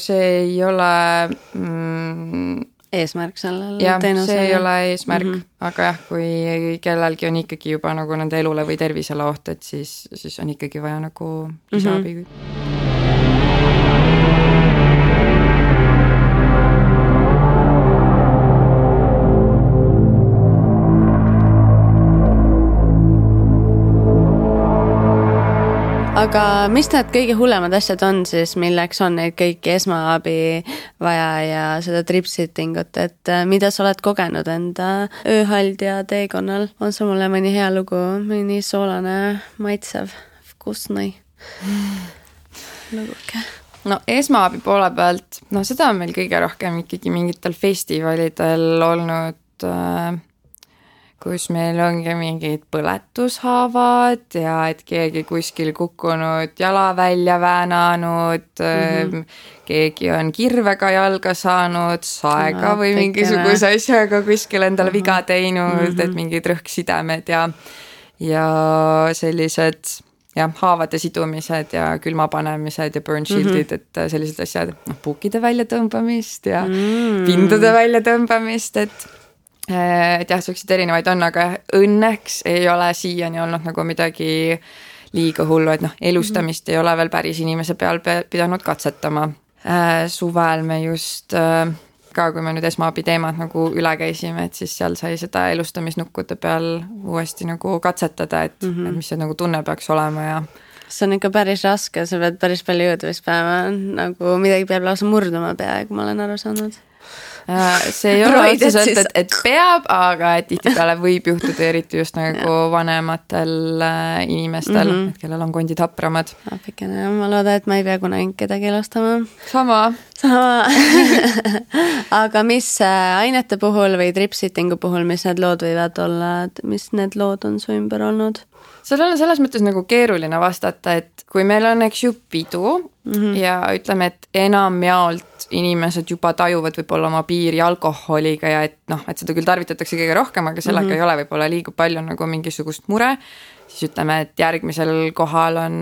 see ei ole... eesmärk sellel teenusel. See ei ole eesmärk, aga jah, kui kellelgi on ikkagi juba nagu nende elule või tervisele oht, et siis on ikkagi vaja nagu lisaabi. Aga mis need kõige hullemad asjad on siis, milleks on neid kõiki esmaabi vaja ja seda trip-sittingut, et mida sa oled kogenud enda ööhaldja teekonnal? On sul mulle mõni hea lugu, mõni soolane, maitsev, vkusnõi luguke? No esmaabi poole pealt, seda on meil kõige rohkem ikkagi mingitel festivalidel olnud... kus meil ongi mingid põletushaavad ja et keegi kuskil kukkunud jala välja väänanud, keegi on kirvega jalga saanud, saega või mingisuguse asjaga kuskil endale viga teinud, et mingid rõhksidemed ja sellised haavade sidumised ja külmapanemised ja burn shieldid, et sellised asjad, puukide väljatõmbamist ja pindude väljatõmbamist, et jah, sellised erinevaid on, aga õnneks ei ole siiani olnud nagu midagi liiga hullu, et elustamist ei ole veel päris inimese peal pidanud katsetama. Suvel me just ka, kui me nüüd esmaabi teemad nagu üle käisime, et siis seal sai seda elustamisnukkude peal uuesti nagu katsetada, et mis see nagu tunne peaks olema ja see on ikka päris raske, sa pead päris palju jõudu vist päeva, nagu midagi peab lausa murduma peaaegu, ma olen aru saanud. See ei ole otseselt, et peab, aga et tihtipeale võib juhtuda eriti just nagu vanematel inimestel, et kellel on kondid hapramad. Apikene, ma loodan, et ma ei pea kunagi kedagi elustama. Sama. Aga mis ainete puhul või trip-sittingu puhul, mis need lood võivad olla, mis need lood on su ümber olnud? Sellel on selles mõttes nagu keeruline vastata, et kui meil on eks ju pidu ja ütleme, et enamjaolt inimesed juba tajuvad võib-olla oma piiri alkoholiga ja et seda küll tarvitatakse kõige rohkem, aga sellega ei ole võib-olla liiga palju nagu mingisugust mure, siis ütleme, et järgmisel kohal on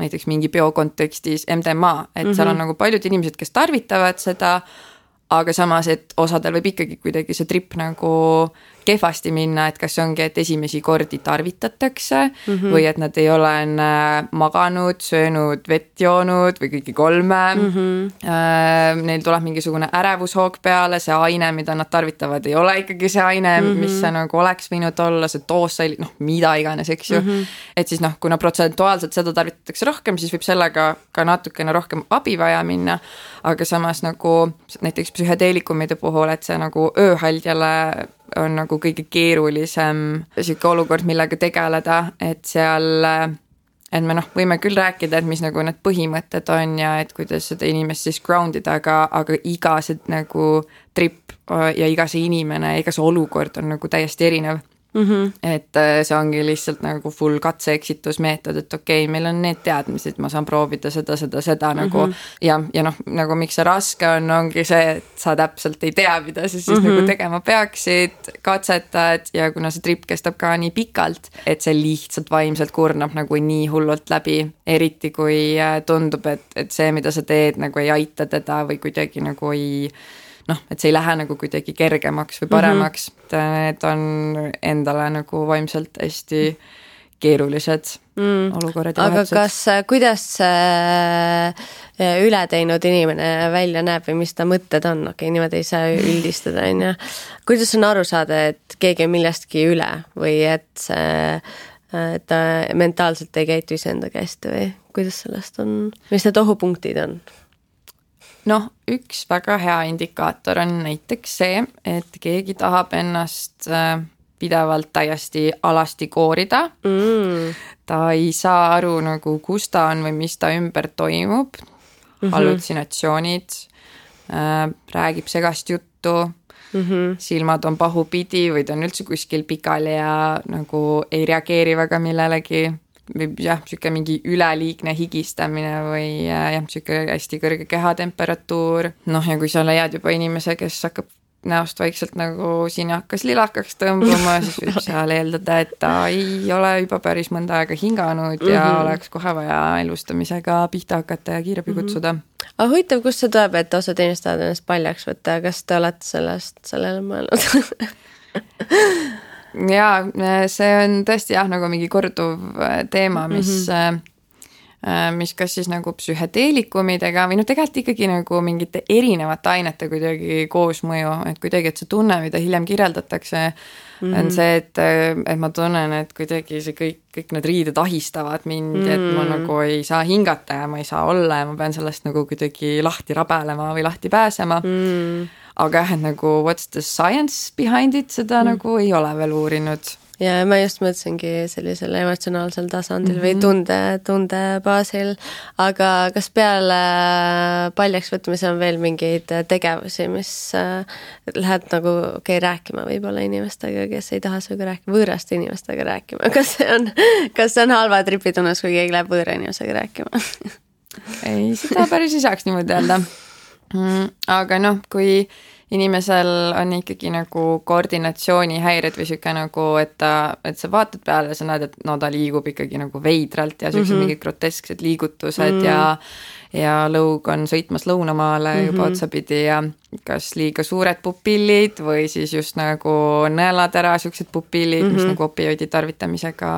näiteks mingi peo kontekstis MDMA, et seal on nagu paljud inimesed, kes tarvitavad seda, aga samas, et osadel võib ikkagi kuidagi see trip nagu kehvasti minna, et kas ongi, et esimesi kordi tarvitatakse või et nad ei ole maganud, söönud, vett joonud või kõiki 3. Neil tuleb mingisugune ärevushoog peale, see aine, mida nad tarvitavad, ei ole ikkagi see aine, mis see nagu oleks võinud olla, see doos, mida iganes, eks ju. Et siis kuna protsentuaalselt seda tarvitatakse rohkem, siis võib sellega ka natukene rohkem abi vaja minna, aga samas nagu näiteks psühhedeelikumide puhul, et see nagu ööhaldjale on nagu kõige keerulisem siuke olukord, millega tegeleda, et seal, et me võime küll rääkida, et mis nagu need põhimõtted on ja et kuidas seda inimest siis groundida, aga iga see nagu trip ja iga see inimene, iga see olukord on nagu täiesti erinev. Et see ongi lihtsalt nagu full katse-eksitusmeetod, et okei, meil on need teadmised, ma saan proovida seda nagu ja nagu miks see raske on, ongi see, et sa täpselt ei tea, mida sa siis nagu tegema peaksid, katsetad ja kuna see trip kestab ka nii pikalt, et see lihtsalt vaimselt kurnab nagu nii hullult läbi, eriti kui tundub, et see, mida sa teed, nagu ei aita teda või kuidagi nagu ei et see ei lähe nagu kuidagi kergemaks või paremaks. Need on endale nagu vaimselt hästi keerulised olukorrad ja vahetused. Aga kuidas ületeinud inimene välja näeb või mis ta mõtted on? Okei, niimoodi ei saa üldistada, on. Kuidas on aru saada, et keegi on millestki üle või et ta mentaalselt ei käitu iseendaga hästi või kuidas sellest on? Mis need ohupunktid on? Üks väga hea indikaator on näiteks see, et keegi tahab ennast pidevalt täiesti alasti koorida. Ta ei saa aru nagu, kus ta on või mis ta ümber toimub. Hallutsinatsioonid, räägib segast juttu, silmad on pahupidi või ta on üldse kuskil pikali ja nagu ei reageeri väga millelegi. Või siuke mingi üleliigne higistamine või siuke hästi kõrge kehatemperatuur. Ja kui sa leiad juba inimese, kes hakkab näost vaikselt nagu siin hakkas lilakaks tõmbuma, siis võib seal eeldada, et ta ei ole juba päris mõnda aega hinganud ja oleks kohe vaja elustamisega pihta hakata ja kiirabi kutsuda. Aga huvitav, kust see tuleb, et osad inimesed tahavad ennast paljaks võtta, kas te olete sellele mõelnud? Jaa, see on tõesti nagu mingi korduv teema, mis kas siis nagu psühhedeelikumidega või tegelikult ikkagi nagu mingite erinevate ainete kuidagi koosmõju, et kuidagi, et see tunne, mida hiljem kirjeldatakse, on see, et ma tunnen, et kuidagi see kõik need riided ahistavad mind, et ma nagu ei saa hingata ja ma ei saa olla ja ma pean sellest nagu kuidagi lahti rabelema või lahti pääsema. Aga et nagu what's the science behind it, seda nagu ei ole veel uurinud. Ja ma just mõtlesingi sellisel emotsionaalsel tasandil või tunde baasil, aga kas peale paljaks võtmise on veel mingeid tegevusi, mis lähed nagu rääkima võib-olla inimestega, kes ei taha sinuga rääkima, võõraste inimestega rääkima, kas see on halva tripitunnus, kui keegi läheb võõra inimesega rääkima? Ei, seda päris ei saaks niimoodi öelda. Aga kui inimesel on ikkagi nagu koordinatsioonihäired või siuke nagu, et sa vaatad peale ja sa näed, et ta liigub ikkagi nagu veidralt ja siuksed mingid grotesksed liigutused ja lõug on sõitmas lõunamaale juba otsapidi ja kas liiga suured pupillid või siis just nagu nõelatera siuksed pupillid, mis nagu opioidi tarvitamisega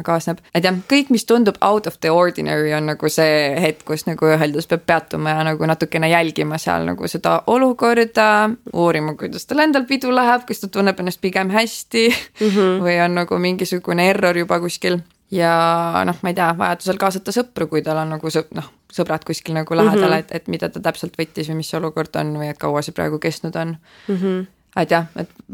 kaasneb. Et kõik, mis tundub out of the ordinary on nagu see hetk, kus nagu üheldus peab peatuma ja nagu natukene jälgima seal nagu seda olukorda, uurima, kuidas tal endal pidu läheb, kas ta tunneb ennast pigem hästi või on nagu mingisugune error juba kuskil. Ja ma ei tea, vajadusel kaasata sõpru, kui tal on nagu sõbrad kuskil nagu lähedal, et mida ta täpselt võttis või mis olukord on või et kaua see praegu kestnud on. Et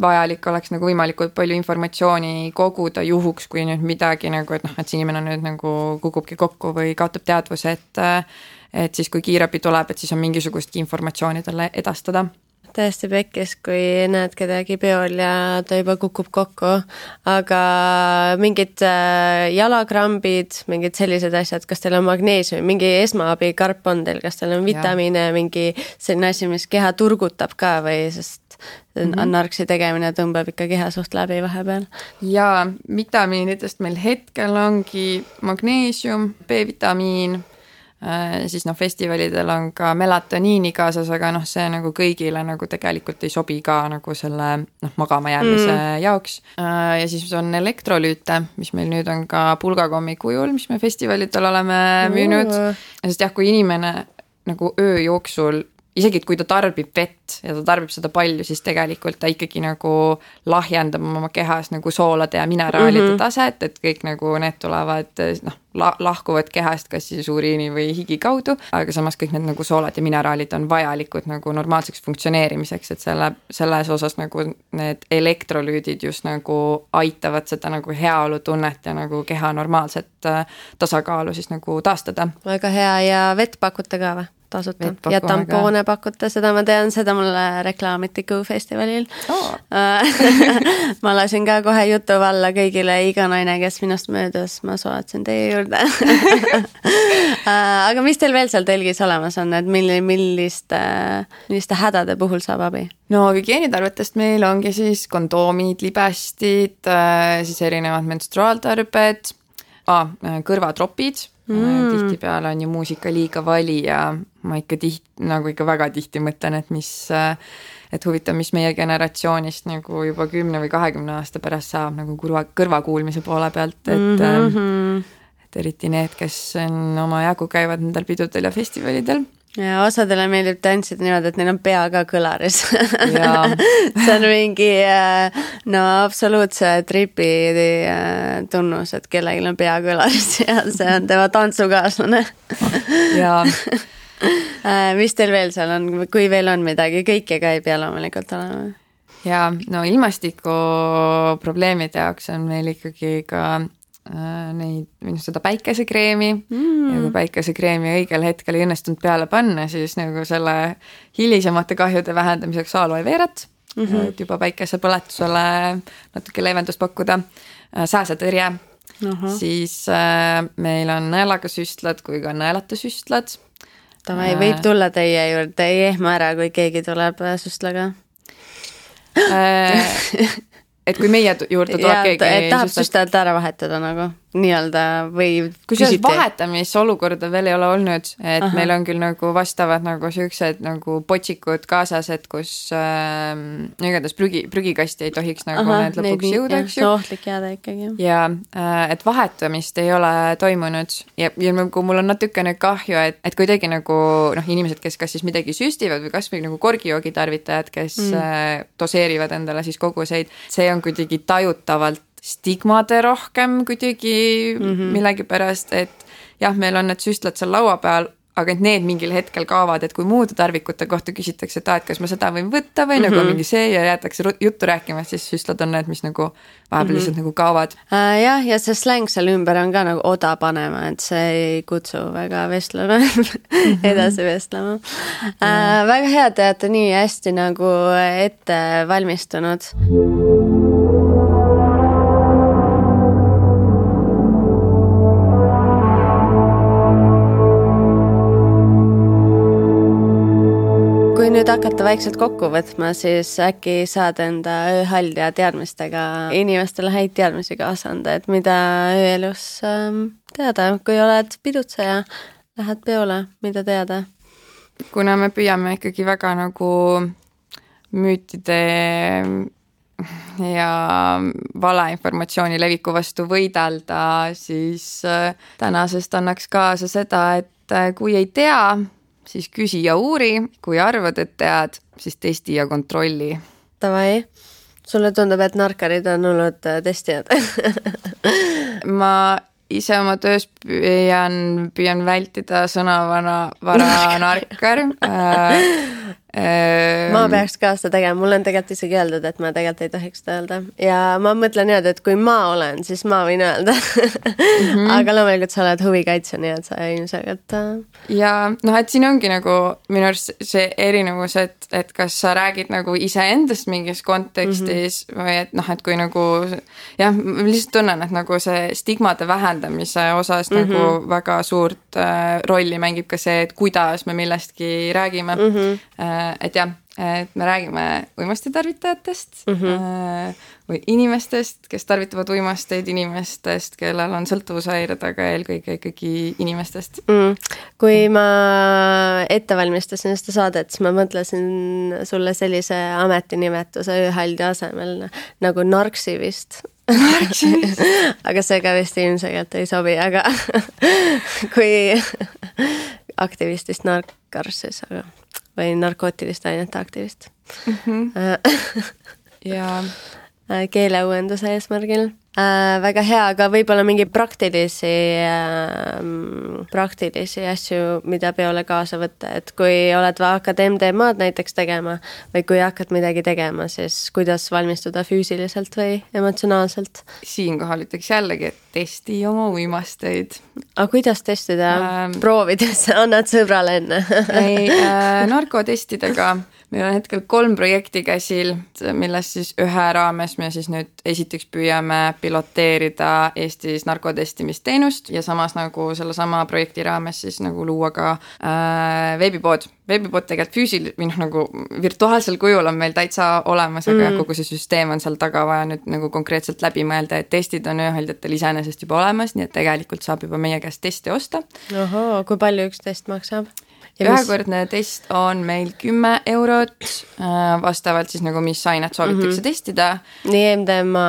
vajalik oleks nagu võimalikult palju informatsiooni koguda juhuks, kui nüüd midagi nagu, et see inimene nüüd nagu kukubki kokku või kaotab teadvuse, et siis kui kiirabi tuleb, et siis on mingisugustki informatsiooni talle edastada. Täiesti pekkis, kui näed kedagi peol ja ta juba kukub kokku, aga mingid jalakrambid, mingid sellised asjad, kas teil on magneesium, mingi esmaabi karp on teil, kas teil on vitamiine, mingi selline asi, mis keha turgutab ka või sest narksi tegemine tõmbab ikka keha suht läbi vahepeal? Ja vitamiinidest meil hetkel ongi magneesium, B-vitamiin, siis festivalidel on ka melatoniini kaasas, aga see nagu kõigile nagu tegelikult ei sobi ka nagu selle magama jäämise jaoks. Ja siis on elektrolüüte, mis meil nüüd on ka pulgakommi kujul, mis me festivalidel oleme müünud. Sest kui inimene nagu öö jooksul isegi, et kui ta tarbib vett ja ta tarbib seda palju, siis tegelikult ta ikkagi nagu lahjendab oma kehas nagu soolade ja mineraalide taset, et kõik nagu need tulevad, lahkuvad kehast kas siis uriini või higi kaudu, aga samas kõik need nagu soolad ja mineraalid on vajalikud nagu normaalseks funktsioneerimiseks, et selles osas nagu need elektrolüüdid just nagu aitavad seda nagu heaolutunnet ja nagu keha normaalset tasakaalu siis nagu taastada. Väga hea ja vett pakute ka või? Tasuta. Ja tampoone pakute, seda ma tean, seda mulle reklaamiti Go-festivalil. Ma lasin ka kohe jutu valla kõigile, iga naine, kes minust möödas, ma soovatasin teie juurde. Aga mis teil veel seal telgis olemas on, et milliste hädade puhul saab abi? No hügieenitarvetest meil ongi siis kondoomid, libestid, siis erinevad menstruaaltarbed, kõrvatropid. Tihti peale on ju muusika liiga vali ja ma ikka väga tihti mõtlen, et huvitav, mis meie generatsioonist nagu juba 10 või 20 aasta pärast saab nagu kõrvakuulmise poole pealt, et eriti need, kes on oma jagu käivad nendel pidudel ja festivalidel. Ja osadele meeldib tantsida niimoodi, et neil on pea ka kõlaris. See on mingi absoluutse tripi tunnus, et kellelgi on pea kõlaris ja see on tema tantsukaaslane. Jaa. Mis teil veel seal on, kui veel on midagi, kõike ka ei pea loomulikult olema? Ja ilmastiku probleemide jaoks on meil ikkagi ka seda päikesekreemi ja kui päikesekreemi õigel hetkel ei õnnestunud peale panna, siis nagu selle hilisemate kahjude vähendamiseks aloe veerat, et juba päikesepõletusele natuke leevendust pakkuda, sääsetõrje, siis meil on nõelaga süstlad kui ka nõelata süstlad. Tavai, võib tulla teie juurde, ei ehma ära, kui keegi tuleb süstlaga. Et kui meie juurde tuleb keegi... Et tahab süstajalt ära vahetada nagu, nii-öelda või küsiti. Vahetamisolukorda veel ei ole olnud, et meil on küll nagu vastavad nagu süüksed nagu potsikud kaasas, et kus igatahes prügikasti ei tohiks nagu need lõpuks jõuda. See ohtlik jääda ikkagi. Ja et vahetamist ei ole toimunud ja nagu mul on natukene kahju, et kuidagi nagu inimesed, kes kas siis midagi süstivad või kas või nagu korgijoogi tarvitajad, kes doseerivad endale siis koguseid, see on kuidagi tajutavalt stigmade rohkem kuidagi millegipärast, et jah, meil on need süstlad seal laua peal, aga et need mingil hetkel kaovad, et kui muude tarvikute kohta küsitakse, et kas ma seda võin võtta või nagu mingi see ja jäetakse juttu rääkima, siis süstlad on need, mis nagu vahepeal lihtsalt nagu kaovad. Jah, ja see släng seal ümber on ka nagu oda panema, et see ei kutsu väga vestlema, edasi vestlema. Väga hea, te olete nii hästi nagu ette valmistunud. Kui nüüd hakata vaikselt kokku võtma, siis äkki saad enda ööhall ja teadmistega inimestele häid teadmisi kaasa anda, et mida ööelus teada, kui oled pidutseja, lähed peole, mida teada? Kuna me püüame ikkagi väga nagu müütide ja valeinformatsiooni leviku vastu võidelda, siis tänasest annaks kaasa seda, et kui ei tea, siis küsi ja uuri, kui arvad, et tead, siis testi ja kontrolli. Tavai, sulle tundub, et narkarid on olnud testijad? Ma ise oma töös püüan vältida sõnavara narkar. Ma peaks ka seda tegema, mul on tegelikult isegi öeldud, et ma tegelikult ei tohiks seda öelda ja ma mõtlen niimoodi, et kui ma olen, siis ma võin öelda aga loomulikult sa oled huvikaitsja, nii et sa ilmselgelt ja et siin ongi nagu minu arust see erinevus, et kas sa räägid nagu iseendast mingis kontekstis või et kui nagu jah, ma lihtsalt tunnen, et nagu see stigmade vähendamise osas nagu väga suurt rolli mängib ka see, et kuidas me millestki räägime et jah, et me räägime uimastitarvitajatest või inimestest, kes tarvitavad uimasteid, inimestest, kellel on sõltuvushäired, aga eelkõige ikkagi inimestest. Kui ma ette valmistasin seda saadet, siis ma mõtlesin sulle sellise ametinimetuse ööhaldi asemel nagu narksivist. Aga see ka vist ilmselgelt ei sobi, aga kui aktivistist narkar siis, aga või narkootiliste ainete aktivist. Ja keeleuuenduse eesmärgil. Väga hea, aga võib-olla mingi praktilisi asju, mida peole kaasa võtta, et kui oled hakkad MDMA-d näiteks tegema või kui hakkad midagi tegema, siis kuidas valmistuda füüsiliselt või emotsionaalselt? Siinkohal ütleks jällegi, et testi oma uimasteid. Aga kuidas testida? Proovides, annad sõbrale enne? Ei, narkotestidega meil on hetkel 3 projekti käsil, millest siis ühe raames me siis nüüd esiteks püüame piloteerida Eestis narkotestimisteenust ja samas nagu selle sama projekti raames siis nagu luua ka veebipood. Veebipood tegelikult või nagu virtuaalsel kujul on meil täitsa olemas, aga kogu see süsteem on seal taga vaja nüüd nagu konkreetselt läbi mõelda, et testid on ööhaldjatel iseenesest juba olemas, nii et tegelikult saab juba meie käest testi osta. Ohoo, kui palju üks test maksab? Ühekordne test on meil 10 eurot, vastavalt siis nagu mis ainet soovitakse testida. Nii MDMA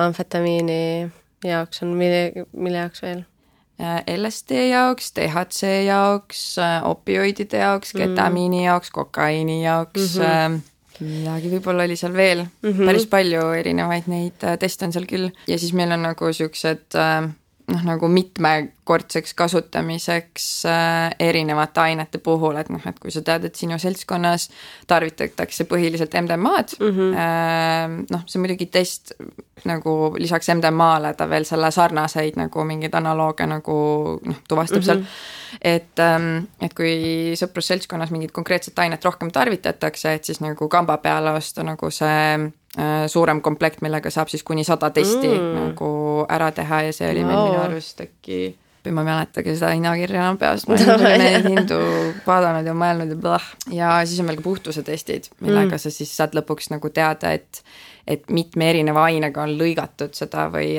amfetamiini jaoks on, mille jaoks veel? LSD jaoks, THC jaoks, opioidide jaoks, ketamiini jaoks, kokaiini jaoks, midagi võib-olla oli seal veel. Päris palju erinevaid neid teste on seal küll. Ja siis meil on nagu siuksed nagu mitmekordseks kasutamiseks erinevate ainete puhul, et et kui sa tead, et sinu seltskonnas tarvitatakse põhiliselt MDMA-d, see muidugi test nagu lisaks MDMA-le ta veel selle sarnaseid nagu mingeid analooge nagu tuvastab seal, et kui sõprusseltskonnas mingit konkreetset ainet rohkem tarvitatakse, et siis nagu kamba peale osta nagu see suurem komplekt, millega saab siis kuni 100 testi nagu ära teha ja see oli meil minu arvust äkki, ma mäletagi seda hinnakirja peast, ma neid hindu vaadanud ja mõelnud ja blah. Ja siis on meil ka puhtuse testid, millega sa siis saad lõpuks nagu teada, et mitme erineva ainega on lõigatud seda või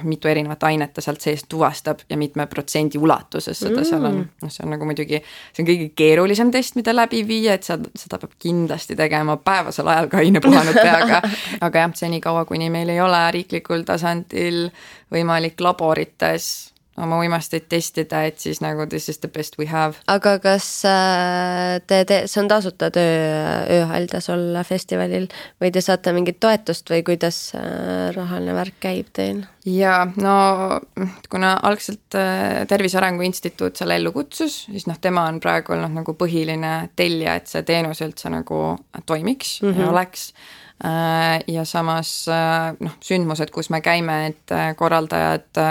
mitu erinevat ainet ta sealt sees tuvastab ja mitme protsendi ulatuses seda seal on. See on nagu muidugi, see on kõige keerulisem test, mida läbi viia, et seda peab kindlasti tegema päevasel ajal ka aine puhanud peaga. Aga jah, see nii kaua, kuni meil ei ole riiklikul tasandil võimalik laborites oma uimasteid testida, et siis nagu this is the best we have. Aga kas see on tasuta ööhaldas olla festivalil või te saate mingit toetust või kuidas rahaline värk käib teil? Ja no kuna algselt Tervise Arengu Instituut selle ellu kutsus, siis tema on praegu olnud nagu põhiline tellija, et see teenus üldse nagu toimiks ja oleks. Ja samas sündmused, kus me käime, et korraldajad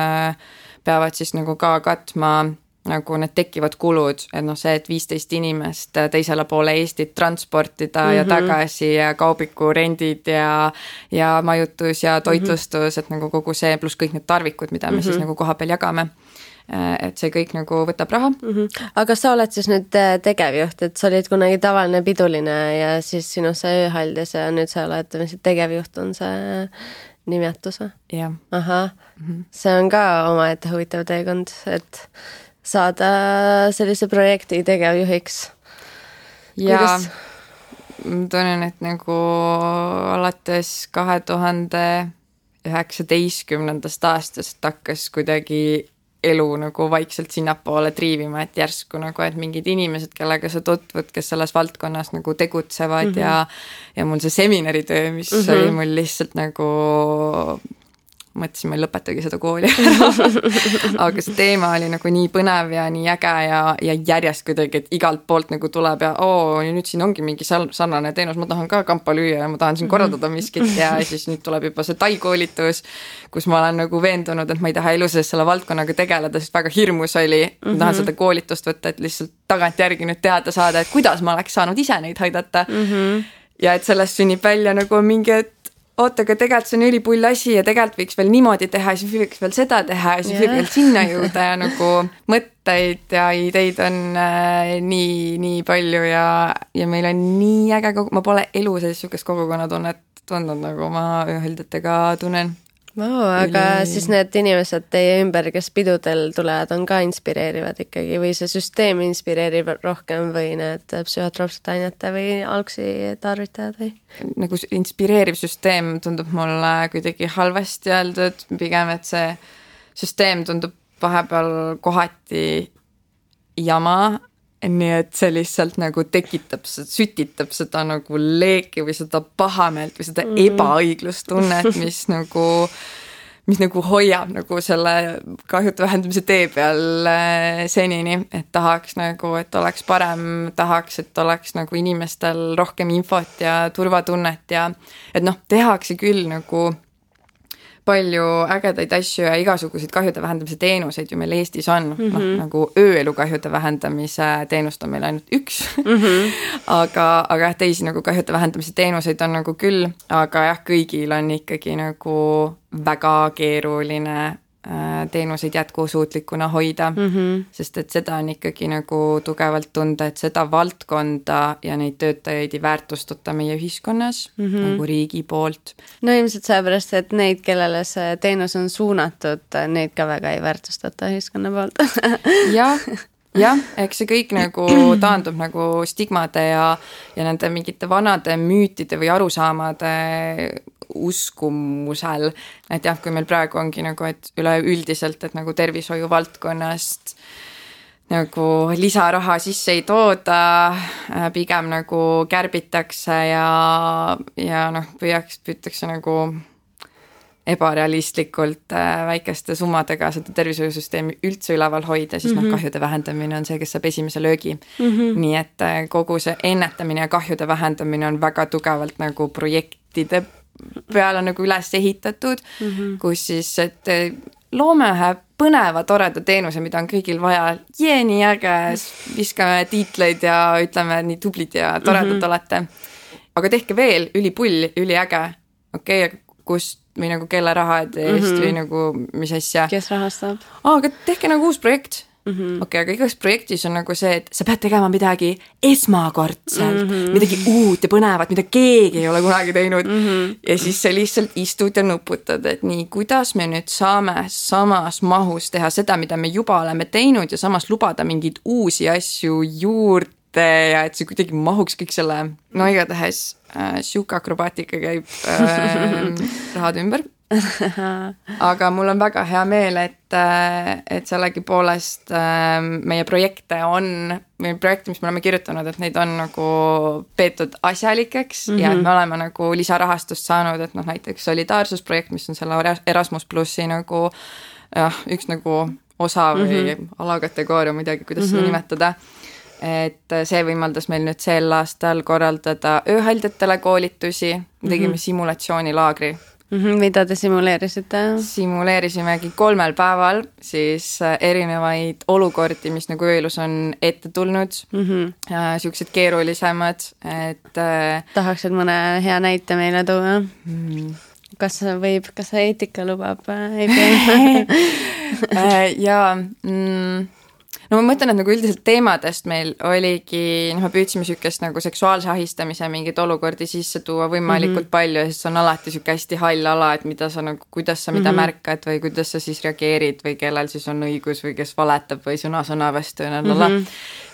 peavad siis nagu ka katma nagu need tekivad kulud, et see, et 15 inimest teisele poole Eestit transportida ja tagasi ja kaubiku rendid ja majutus ja toitlustus, et nagu kogu see pluss kõik need tarvikud, mida me siis nagu koha peal jagame. Et see kõik nagu võtab raha. Aga sa oled siis nüüd tegevjuht, et sa olid kunagi tavaline piduline ja siis sinu see ööhaldis ja nüüd sa oled tegevjuht on see nimetus või? Jah. Aha, see on ka omaette huvitav teekond, et saada sellise projekti tegevjuhiks. Ja ma tunnen, et nagu alates 2019. Aastast hakkas kuidagi elu nagu vaikselt sinnapoole triivima, et järsku nagu, et mingid inimesed, kellega sa tutvud, kes selles valdkonnas nagu tegutsevad ja mul see seminaritöö, mis oli mul lihtsalt nagu mõtlesin, ma ei lõpetagi seda kooli ära. Aga see teema oli nagu nii põnev ja nii äge ja järjest kuidagi, et igalt poolt nagu tuleb ja nüüd siin ongi mingi sarnane teenus, ma tahan ka kampa lüüa ja ma tahan siin korraldada miskit ja siis nüüd tuleb juba see tai-koolitus, kus ma olen nagu veendunud, et ma ei taha elu sees selle valdkonnaga tegeleda, sest väga hirmus oli, ma tahan seda koolitust võtta, et lihtsalt tagantjärgi nüüd teada saada, et kuidas ma oleks saanud ise neid aidata. Ja et sellest sünnib välja nagu mingi, et oota, aga tegelikult see on ülipull asi ja tegelikult võiks veel niimoodi teha ja siis võiks veel seda teha ja siis võib veel sinna jõuda ja nagu mõtteid ja ideid on nii palju ja meil on nii äge ma pole elu sees niisugust kogukonnatunnet tundnud, nagu ma ööhõldjatega tunnen. Aga siis need inimesed teie ümber, kes pidudel tulevad, on ka inspireerivad ikkagi või see süsteem inspireerib rohkem või need psühhotroopsete ainete või algsi tarvitajad või? Nagu inspireeriv süsteem tundub mulle kuidagi halvasti öeldud, pigem, et see süsteem tundub vahepeal kohati jama, nii et see lihtsalt nagu tekitab, sütitab seda nagu leeki või seda pahameelt või seda ebaõiglustunnet, mis nagu hoiab nagu selle kahjude vähendamise tee peal senini, et tahaks nagu, et oleks parem, tahaks, et oleks nagu inimestel rohkem infot ja turvatunnet ja et noh, tehakse küll nagu palju ägedaid asju ja igasuguseid kahjude vähendamise teenuseid ju meil Eestis on. No, nagu ööelu kahjude vähendamise teenust on meil ainult üks. aga teisi nagu kahjude vähendamise teenuseid on nagu küll, aga jah, kõigil on ikkagi nagu väga keeruline teenuseid jätkusuutlikuna hoida, sest et seda on ikkagi nagu tugevalt tunda, et seda valdkonda ja neid töötajaid ei väärtustata meie ühiskonnas nagu riigi poolt. No ilmselt sellepärast, et neid, kellele see teenus on suunatud, neid ka väga ei väärtustata ühiskonna poolt. jah, eks see kõik nagu taandub nagu stigmade ja nende mingite vanade müütide või arusaamade uskumusel, et jah, kui meil praegu ongi nagu, et üleüldiselt, et nagu tervishoiu valdkonnast nagu lisaraha sisse ei tooda, pigem nagu kärbitakse ja noh, püütakse nagu ebarealistlikult väikeste summadega seda tervishoiusüsteemi üldse üleval hoida, siis kahjude vähendamine on see, kes saab esimese löögi. Nii et kogu see ennetamine ja kahjude vähendamine on väga tugevalt nagu projektide peale nagu üles ehitatud, kus siis, et loome ühe põneva, toreda teenuse, mida on kõigil vaja. Nii äge, viskame tiitleid ja ütleme, nii tublid ja toredad olete. Aga tehke veel ülipull, üliäge. Okei, kust või nagu kelle rahad eest või nagu mis asja. Kes rahastab? Aga tehke nagu uus projekt. Okei, aga igas projektis on nagu see, et sa pead tegema midagi esmakordselt, midagi uut ja põnevat, mida keegi ei ole kunagi teinud. Ja siis sa lihtsalt istud ja nuputad, et nii, kuidas me nüüd saame samas mahus teha seda, mida me juba oleme teinud ja samas lubada mingeid uusi asju juurde ja et see kuidagi mahuks kõik selle, no igatahes siuke akrobaatika käib rahad ümber. Aga mul on väga hea meel, et sellegi poolest meie projekte, mis me oleme kirjutanud, et neid on nagu peetud asjalikeks ja et me oleme nagu lisarahastust saanud, et noh, näiteks solidaarsusprojekt, mis on selle Erasmus Plussi nagu üks nagu osa või alakategooria, midagi, kuidas seda nimetada. Et see võimaldas meil nüüd sel aastal korraldada ööhaldjatele koolitusi, tegime simulatsioonilaagri. Mida te simuleerisite? Simuleerisimegi 3 päeval siis erinevaid olukordi, mis nagu ööelus on ette tulnud, siuksed keerulisemad, et tahaksid mõne hea näite meile tuua? Kas eetika lubab? No ma mõtlen, et nagu üldiselt teemadest meil oligi, me püüdsime sükest nagu seksuaalse ahistamise mingid olukordi sisse tuua võimalikult palju ja siis on alati süke hästi hall ala, et mida sa nagu, kuidas sa mida märkad või kuidas sa siis reageerid või kellel siis on õigus või kes valetab või sõna vastu ja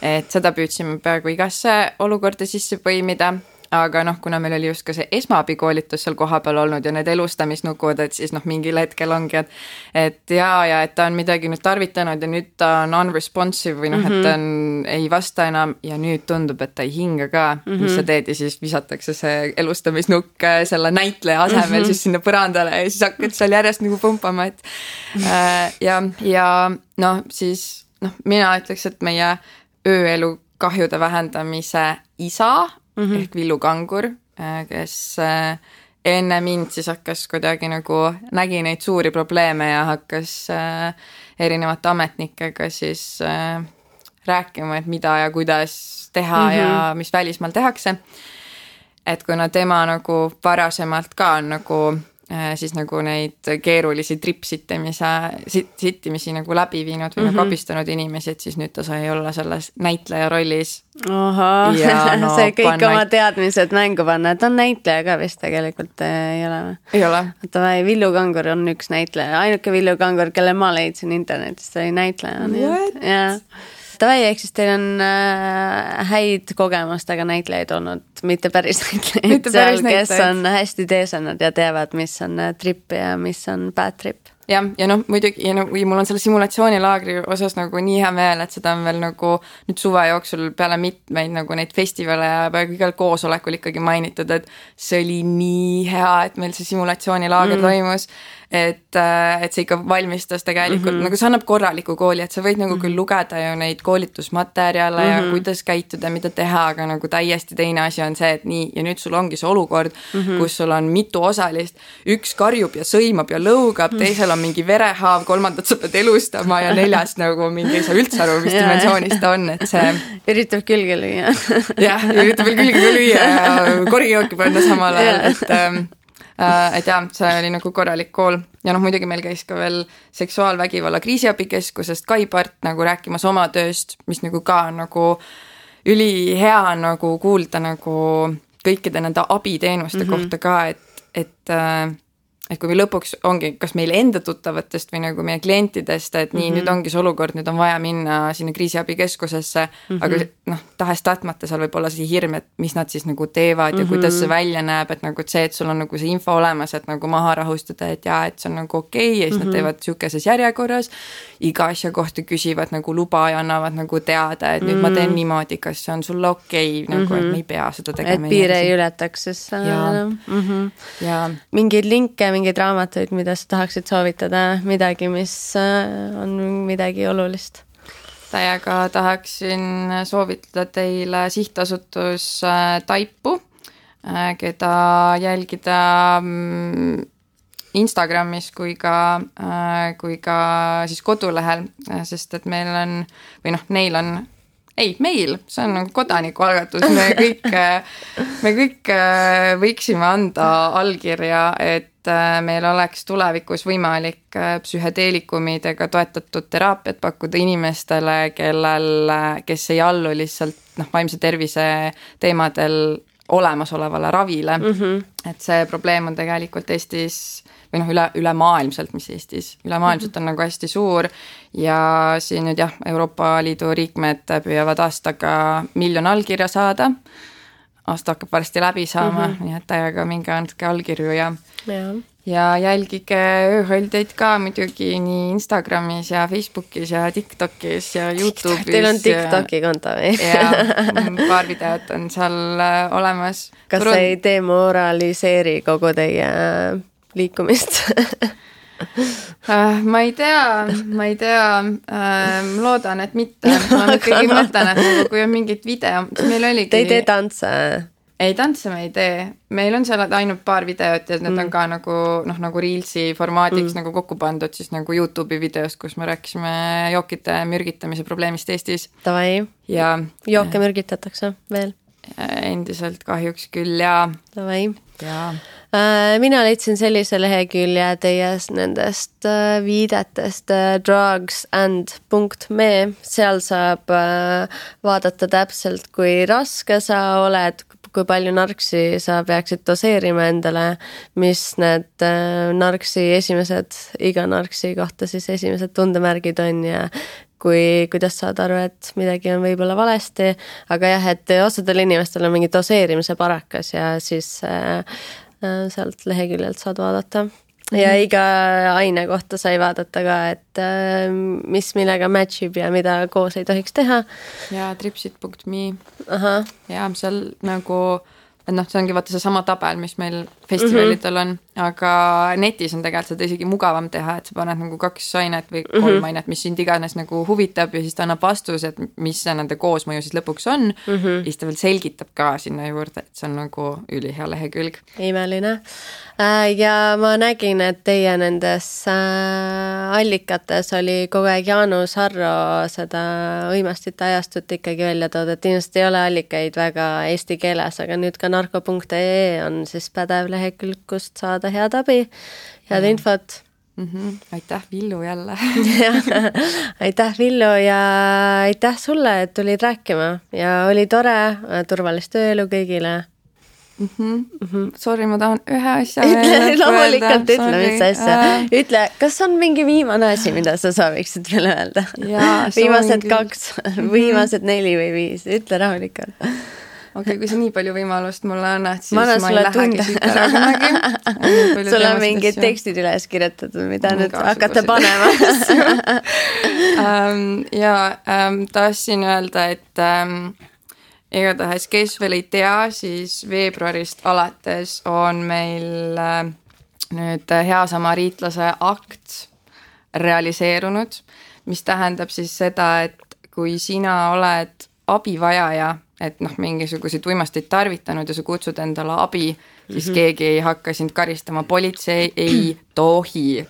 et seda püüdsime peaaegu igasse olukorda sisse põimida. Aga noh, kuna meil oli just ka see esmaabikoolitus seal kohapeal olnud ja need elustamisnukud, et siis noh, mingil hetkel ongi, et et ta on midagi nüüd tarvitanud ja nüüd ta on unresponsive või noh, et ta ei vasta enam ja nüüd tundub, et ta ei hinga ka, mis sa teed ja siis visatakse see elustamisnukk selle näitleja asemel siis sinna põrandale ja siis hakkad seal järjest nagu pumpama, et ja noh, siis noh, mina ütleks, et meie ööelu kahjude vähendamise isa ehk Villu Kangur, kes enne mind siis hakkas kuidagi nagu nägi neid suuri probleeme ja hakkas erinevate ametnikega siis rääkima, et mida ja kuidas teha ja mis välismaal tehakse. et kuna tema nagu varasemalt ka on nagu siis nagu neid keerulisi sittimisi nagu läbi viinud või nagu abistanud inimesi, et siis nüüd ta sai olla selles näitleja rollis. Oho, see kõik oma teadmised mängu panna, et on näitleja ka vist tegelikult ei ole või? Ei ole. Oota, Villu Kangur on üks näitleja, ainuke Villu Kangur, kelle ma leidsin internetist, oli näitleja. What? Tavai, ehk siis teil on häid kogemustega näitlejaid olnud, mitte päris näitlejaid seal, kes on hästi teesanud ja teavad, mis on trip ja mis on bad trip. Ja noh, muidugi, ja mul on selle simulatsioonilaagri osas nagu nii hea meel, et seda on veel nagu nüüd suve jooksul peale mitmeid nagu neid festivale ja peaaegu igal koosolekul ikkagi mainitud, et see oli nii hea, et meil see simulatsioonilaager toimus, et see ikka valmistas tegelikult, nagu see annab korraliku kooli, et sa võid nagu küll lugeda ju neid koolitusmaterjale ja kuidas käituda, mida teha, aga nagu täiesti teine asi on see, et nii, ja nüüd sul ongi see olukord, kus sul on mitu osalist, üks karjub ja sõimab ja lõugab, teisel on mingi verehaav, kolmandat sa pead elustama ja neljast nagu mingi ei saa üldse aru, mis dimensioonist ta on, et see üritab külge lüüa. Jah, üritab veel külge lüüa ja korgijooki panna samal ajal, et jah, see oli nagu korralik kool ja noh, muidugi meil käis ka veel seksuaalvägivalla kriisiabikeskusest Kai Part nagu rääkimas oma tööst, mis nagu ka nagu ülihea nagu kuulda nagu kõikide nende abiteenuste kohta ka, et kui lõpuks ongi kas meil enda tuttavatest või nagu meie klientidest, et nii, nüüd ongi see olukord, nüüd on vaja minna sinna kriisiabikeskusesse, aga noh, tahes-tahtmata seal võib olla see hirm, et mis nad siis nagu teevad ja kuidas see välja näeb, et nagu see, et sul on nagu see info olemas, et nagu maha rahustada, et jaa, et see on nagu okei, ja siis nad teevad siukeses järjekorras, iga asja kohta küsivad nagu luba ja annavad nagu teada, et nüüd ma teen niimoodi, kas see on sulle okei, nagu et me ei pea seda tegema. Et piire ei ületaks, siis ja mingeid linke, mingeid raamatuid, mida sa tahaksid soovitada, midagi, mis on midagi olulist? Täiega tahaksin soovitada teile sihtasutus Taipu, keda jälgida Instagramis kui ka siis kodulehel, sest et meil on, või noh, neil on meil, see on nagu kodanikualgatus, me kõik võiksime anda allkirja, et meil oleks tulevikus võimalik psühhedeelikumidega toetatud teraapiat pakkuda inimestele, kes ei allu lihtsalt vaimse tervise teemadel olemasolevale ravile. Et see probleem on tegelikult Eestis või ülemaailmselt, mis Eestis, ülemaailmselt on nagu hästi suur ja siin nüüd Euroopa Liidu liikmed püüavad aastaga 1 miljon allkirja saada. Aasta hakkab varsti läbi saama, nii et täiega minge andke allkirju ja jälgige ööhõldeid ka muidugi nii Instagramis ja Facebookis ja TikTokis ja YouTube'is. Teil on TikToki konto või? Ja paar videot on seal olemas. Kas sa ei demoraliseeri kogu teie liikumist? Ma ei tea, loodan, et mitte. Ma ikkagi mõtlen, et kui on mingid video, meil oligi... Te ei tee tantse? Ei, tantse me ei tee. Meil on seal ainult paar videot ja need on ka nagu Reelsi formaadiks nagu kokku pandud siis nagu YouTube'i videost, kus me rääkisime jookide mürgitamise probleemist Eestis. Tavai. Ja jooke mürgitatakse veel? Endiselt kahjuks küll ja... Tavai. Ja... Mina leidsin sellise lehekülje teie nendest viidetest drugsand.me, seal saab vaadata täpselt, kui raske sa oled, kui palju narksi sa peaksid doseerima endale, mis need narksi iga narksi kohta siis esimesed tundemärgid on ja kuidas saad aru, et midagi on võib-olla valesti, aga jah, et osadel inimestel on mingi doseerimise parakas ja siis sealt leheküljelt saad vaadata. Ja iga aine kohta sai vaadata ka, et mis millega matchib ja mida koos ei tohiks teha. Ja tripsit.me. Ja seal nagu... see ongi vaata see sama tabel, mis meil festivalidel on, aga netis on tegelikult seda isegi mugavam teha, et sa paned nagu 2 ainet või 3 ainet, mis sind iganes nagu huvitab ja siis ta annab vastuse, et mis see nende koosmõju siis lõpuks on ja siis ta veel selgitab ka sinna juurde, et see on nagu ülihea lehekülg. Imeline. Ja ma nägin, et teie nendes allikates oli kogu aeg Jaanus Harro seda uimastite ajastut ikkagi välja toodud, et ilmselt ei ole allikaid väga eesti keeles, aga nüüd ka narko.ee on siis pädev lehekülg, kust saada head abi, head infot. Aitäh, Villu jälle. Aitäh, Villu, ja aitäh sulle, et tulid rääkima ja oli tore, turvalist ööelu kõigile. Sorry, ma tahan ühe asja loomulikult ütle, mis asja. Ütle, kas on mingi viimane asi, mida sa sooviksid veel öelda? Viimased 2, viimased 4 või 5, ütle rahulikult. Okei, kui sa nii palju võimalust mulle annad, siis ma ei lähegi siit ära kunagi. Sul on mingid tekstid üles kirjutatud, mida nüüd hakata panema. Tahtsin öelda, et igatahes, kes veel ei tea, siis veebruarist alates on meil nüüd hea samariitlase akt realiseerunud, mis tähendab siis seda, et kui sina oled abivajaja, et mingisuguseid uimasteid tarvitanud ja sa kutsud endale abi, siis keegi ei hakka sind karistama, politsei ei tohi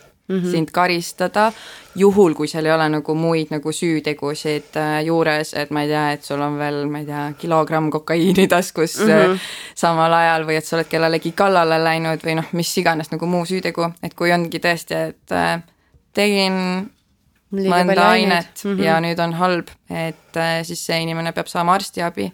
sind karistada, juhul kui seal ei ole nagu muid nagu süütegusid juures, et ma ei tea, et sul on veel, ma ei tea, kilogramm kokaiini taskus samal ajal või et sa oled kellelegi kallale läinud või mis iganes nagu muu süütegu, et kui ongi tõesti, et tegin mõnda ainet ja nüüd on halb, et siis see inimene peab saama arstiabi.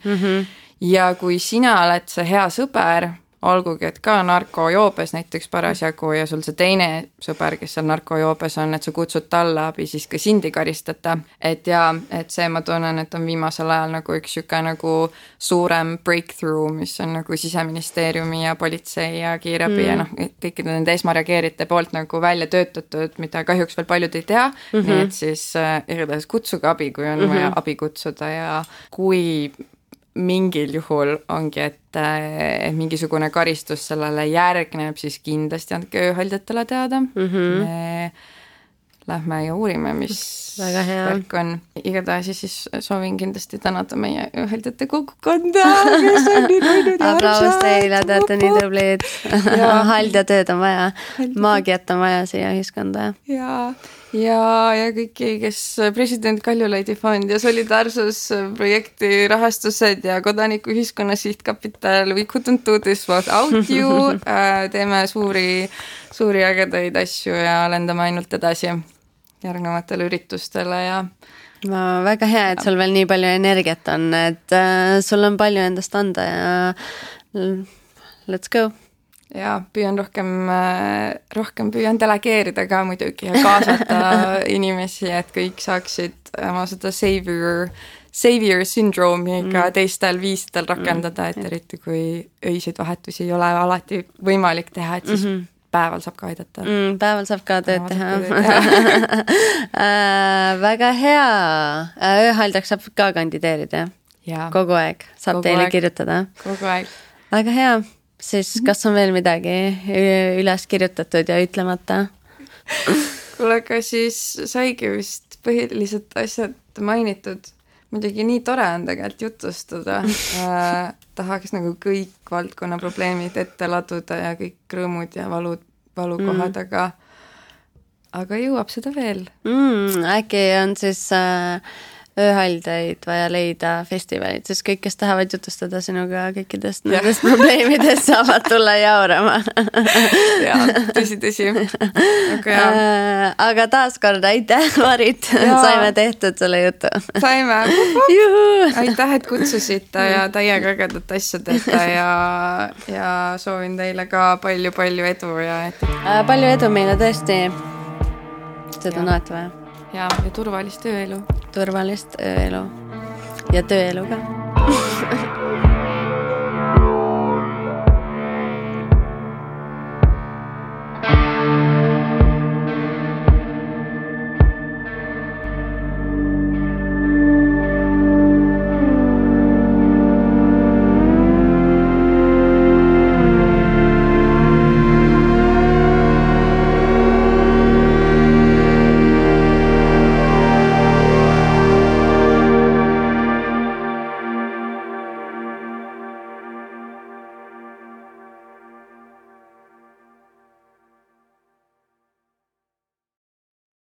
Ja kui sina oled see hea sõber, olgugi, et ka narkojoobes näiteks parasjagu ja sul see teine sõber, kes seal narkojoobes on, et sa kutsud talle abi, siis ka sind ei karistata. Et see ma tunnen, et on viimasel ajal nagu üks siuke nagu suurem breakthrough, mis on nagu Siseministeeriumi ja politsei ja kiirabi ja kõikide nende esmareageerite poolt nagu välja töötatud, mida kahjuks veel paljud ei tea. Nii et siis igatahes kutsuge abi, kui on vaja abi kutsuda ja kui mingil juhul ongi, et mingisugune karistus sellele järgneb, siis kindlasti andke ööhaldjatele teada. Me lähme ja uurime, mis värk on. Igatahes siis soovin kindlasti tänada meie ööhaldjate kogukonda, kes on nii teinud ja aplaus teile, teate nii tublid. Haldjatööd on vaja, maagiat on vaja siia ühiskonda. Ja kõiki, kes president Kaljulaidi fond ja solidaarsusprojekti rahastused ja kodanikuühiskonna sihtkapital, we couldn't do this without you. Teeme suuri ägedaid asju ja lendame ainult edasi järgnevatele üritustele ja väga hea, et sul veel nii palju energiat on, et sul on palju endast anda ja let's go. Ja püüan rohkem püüan delegeerida ka muidugi ja kaasata inimesi, et kõik saaksid oma seda savior syndroomi ka teistel viisidel rakendada, et eriti kui öiseid vahetusi ei ole alati võimalik teha, et siis päeval saab ka aidata. Päeval saab ka tööd teha. Väga hea. Ööhaldjaks saab ka kandideerida. Kogu aeg saab teile kirjutada. Kogu aeg. Väga hea. Siis kas on veel midagi üles kirjutatud ja ütlemata? Kuule, aga siis saigi vist põhilised asjad mainitud. Muidugi nii tore on tegelikult jutustada. Tahaks nagu kõik valdkonna probleemid ette laduda ja kõik rõõmud ja valukohad, aga jõuab seda veel. Äkki on siis ööhaldjaid vaja leida festivalid, siis kõik, kes tahavad jutustada sinuga kõikidest nendest probleemidest, saavad tulla jaurama. Tõsi. Aga taaskord aitäh, Marit, saime tehtud selle jutu. Saime. Aitäh, et kutsusite ja täiega ägedat asja teete ja soovin teile ka palju edu. Palju edu meile tõesti. Seda on alati vaja. Ja turvalist ööelu. Turvalist ööelu. Ja tööelu ka.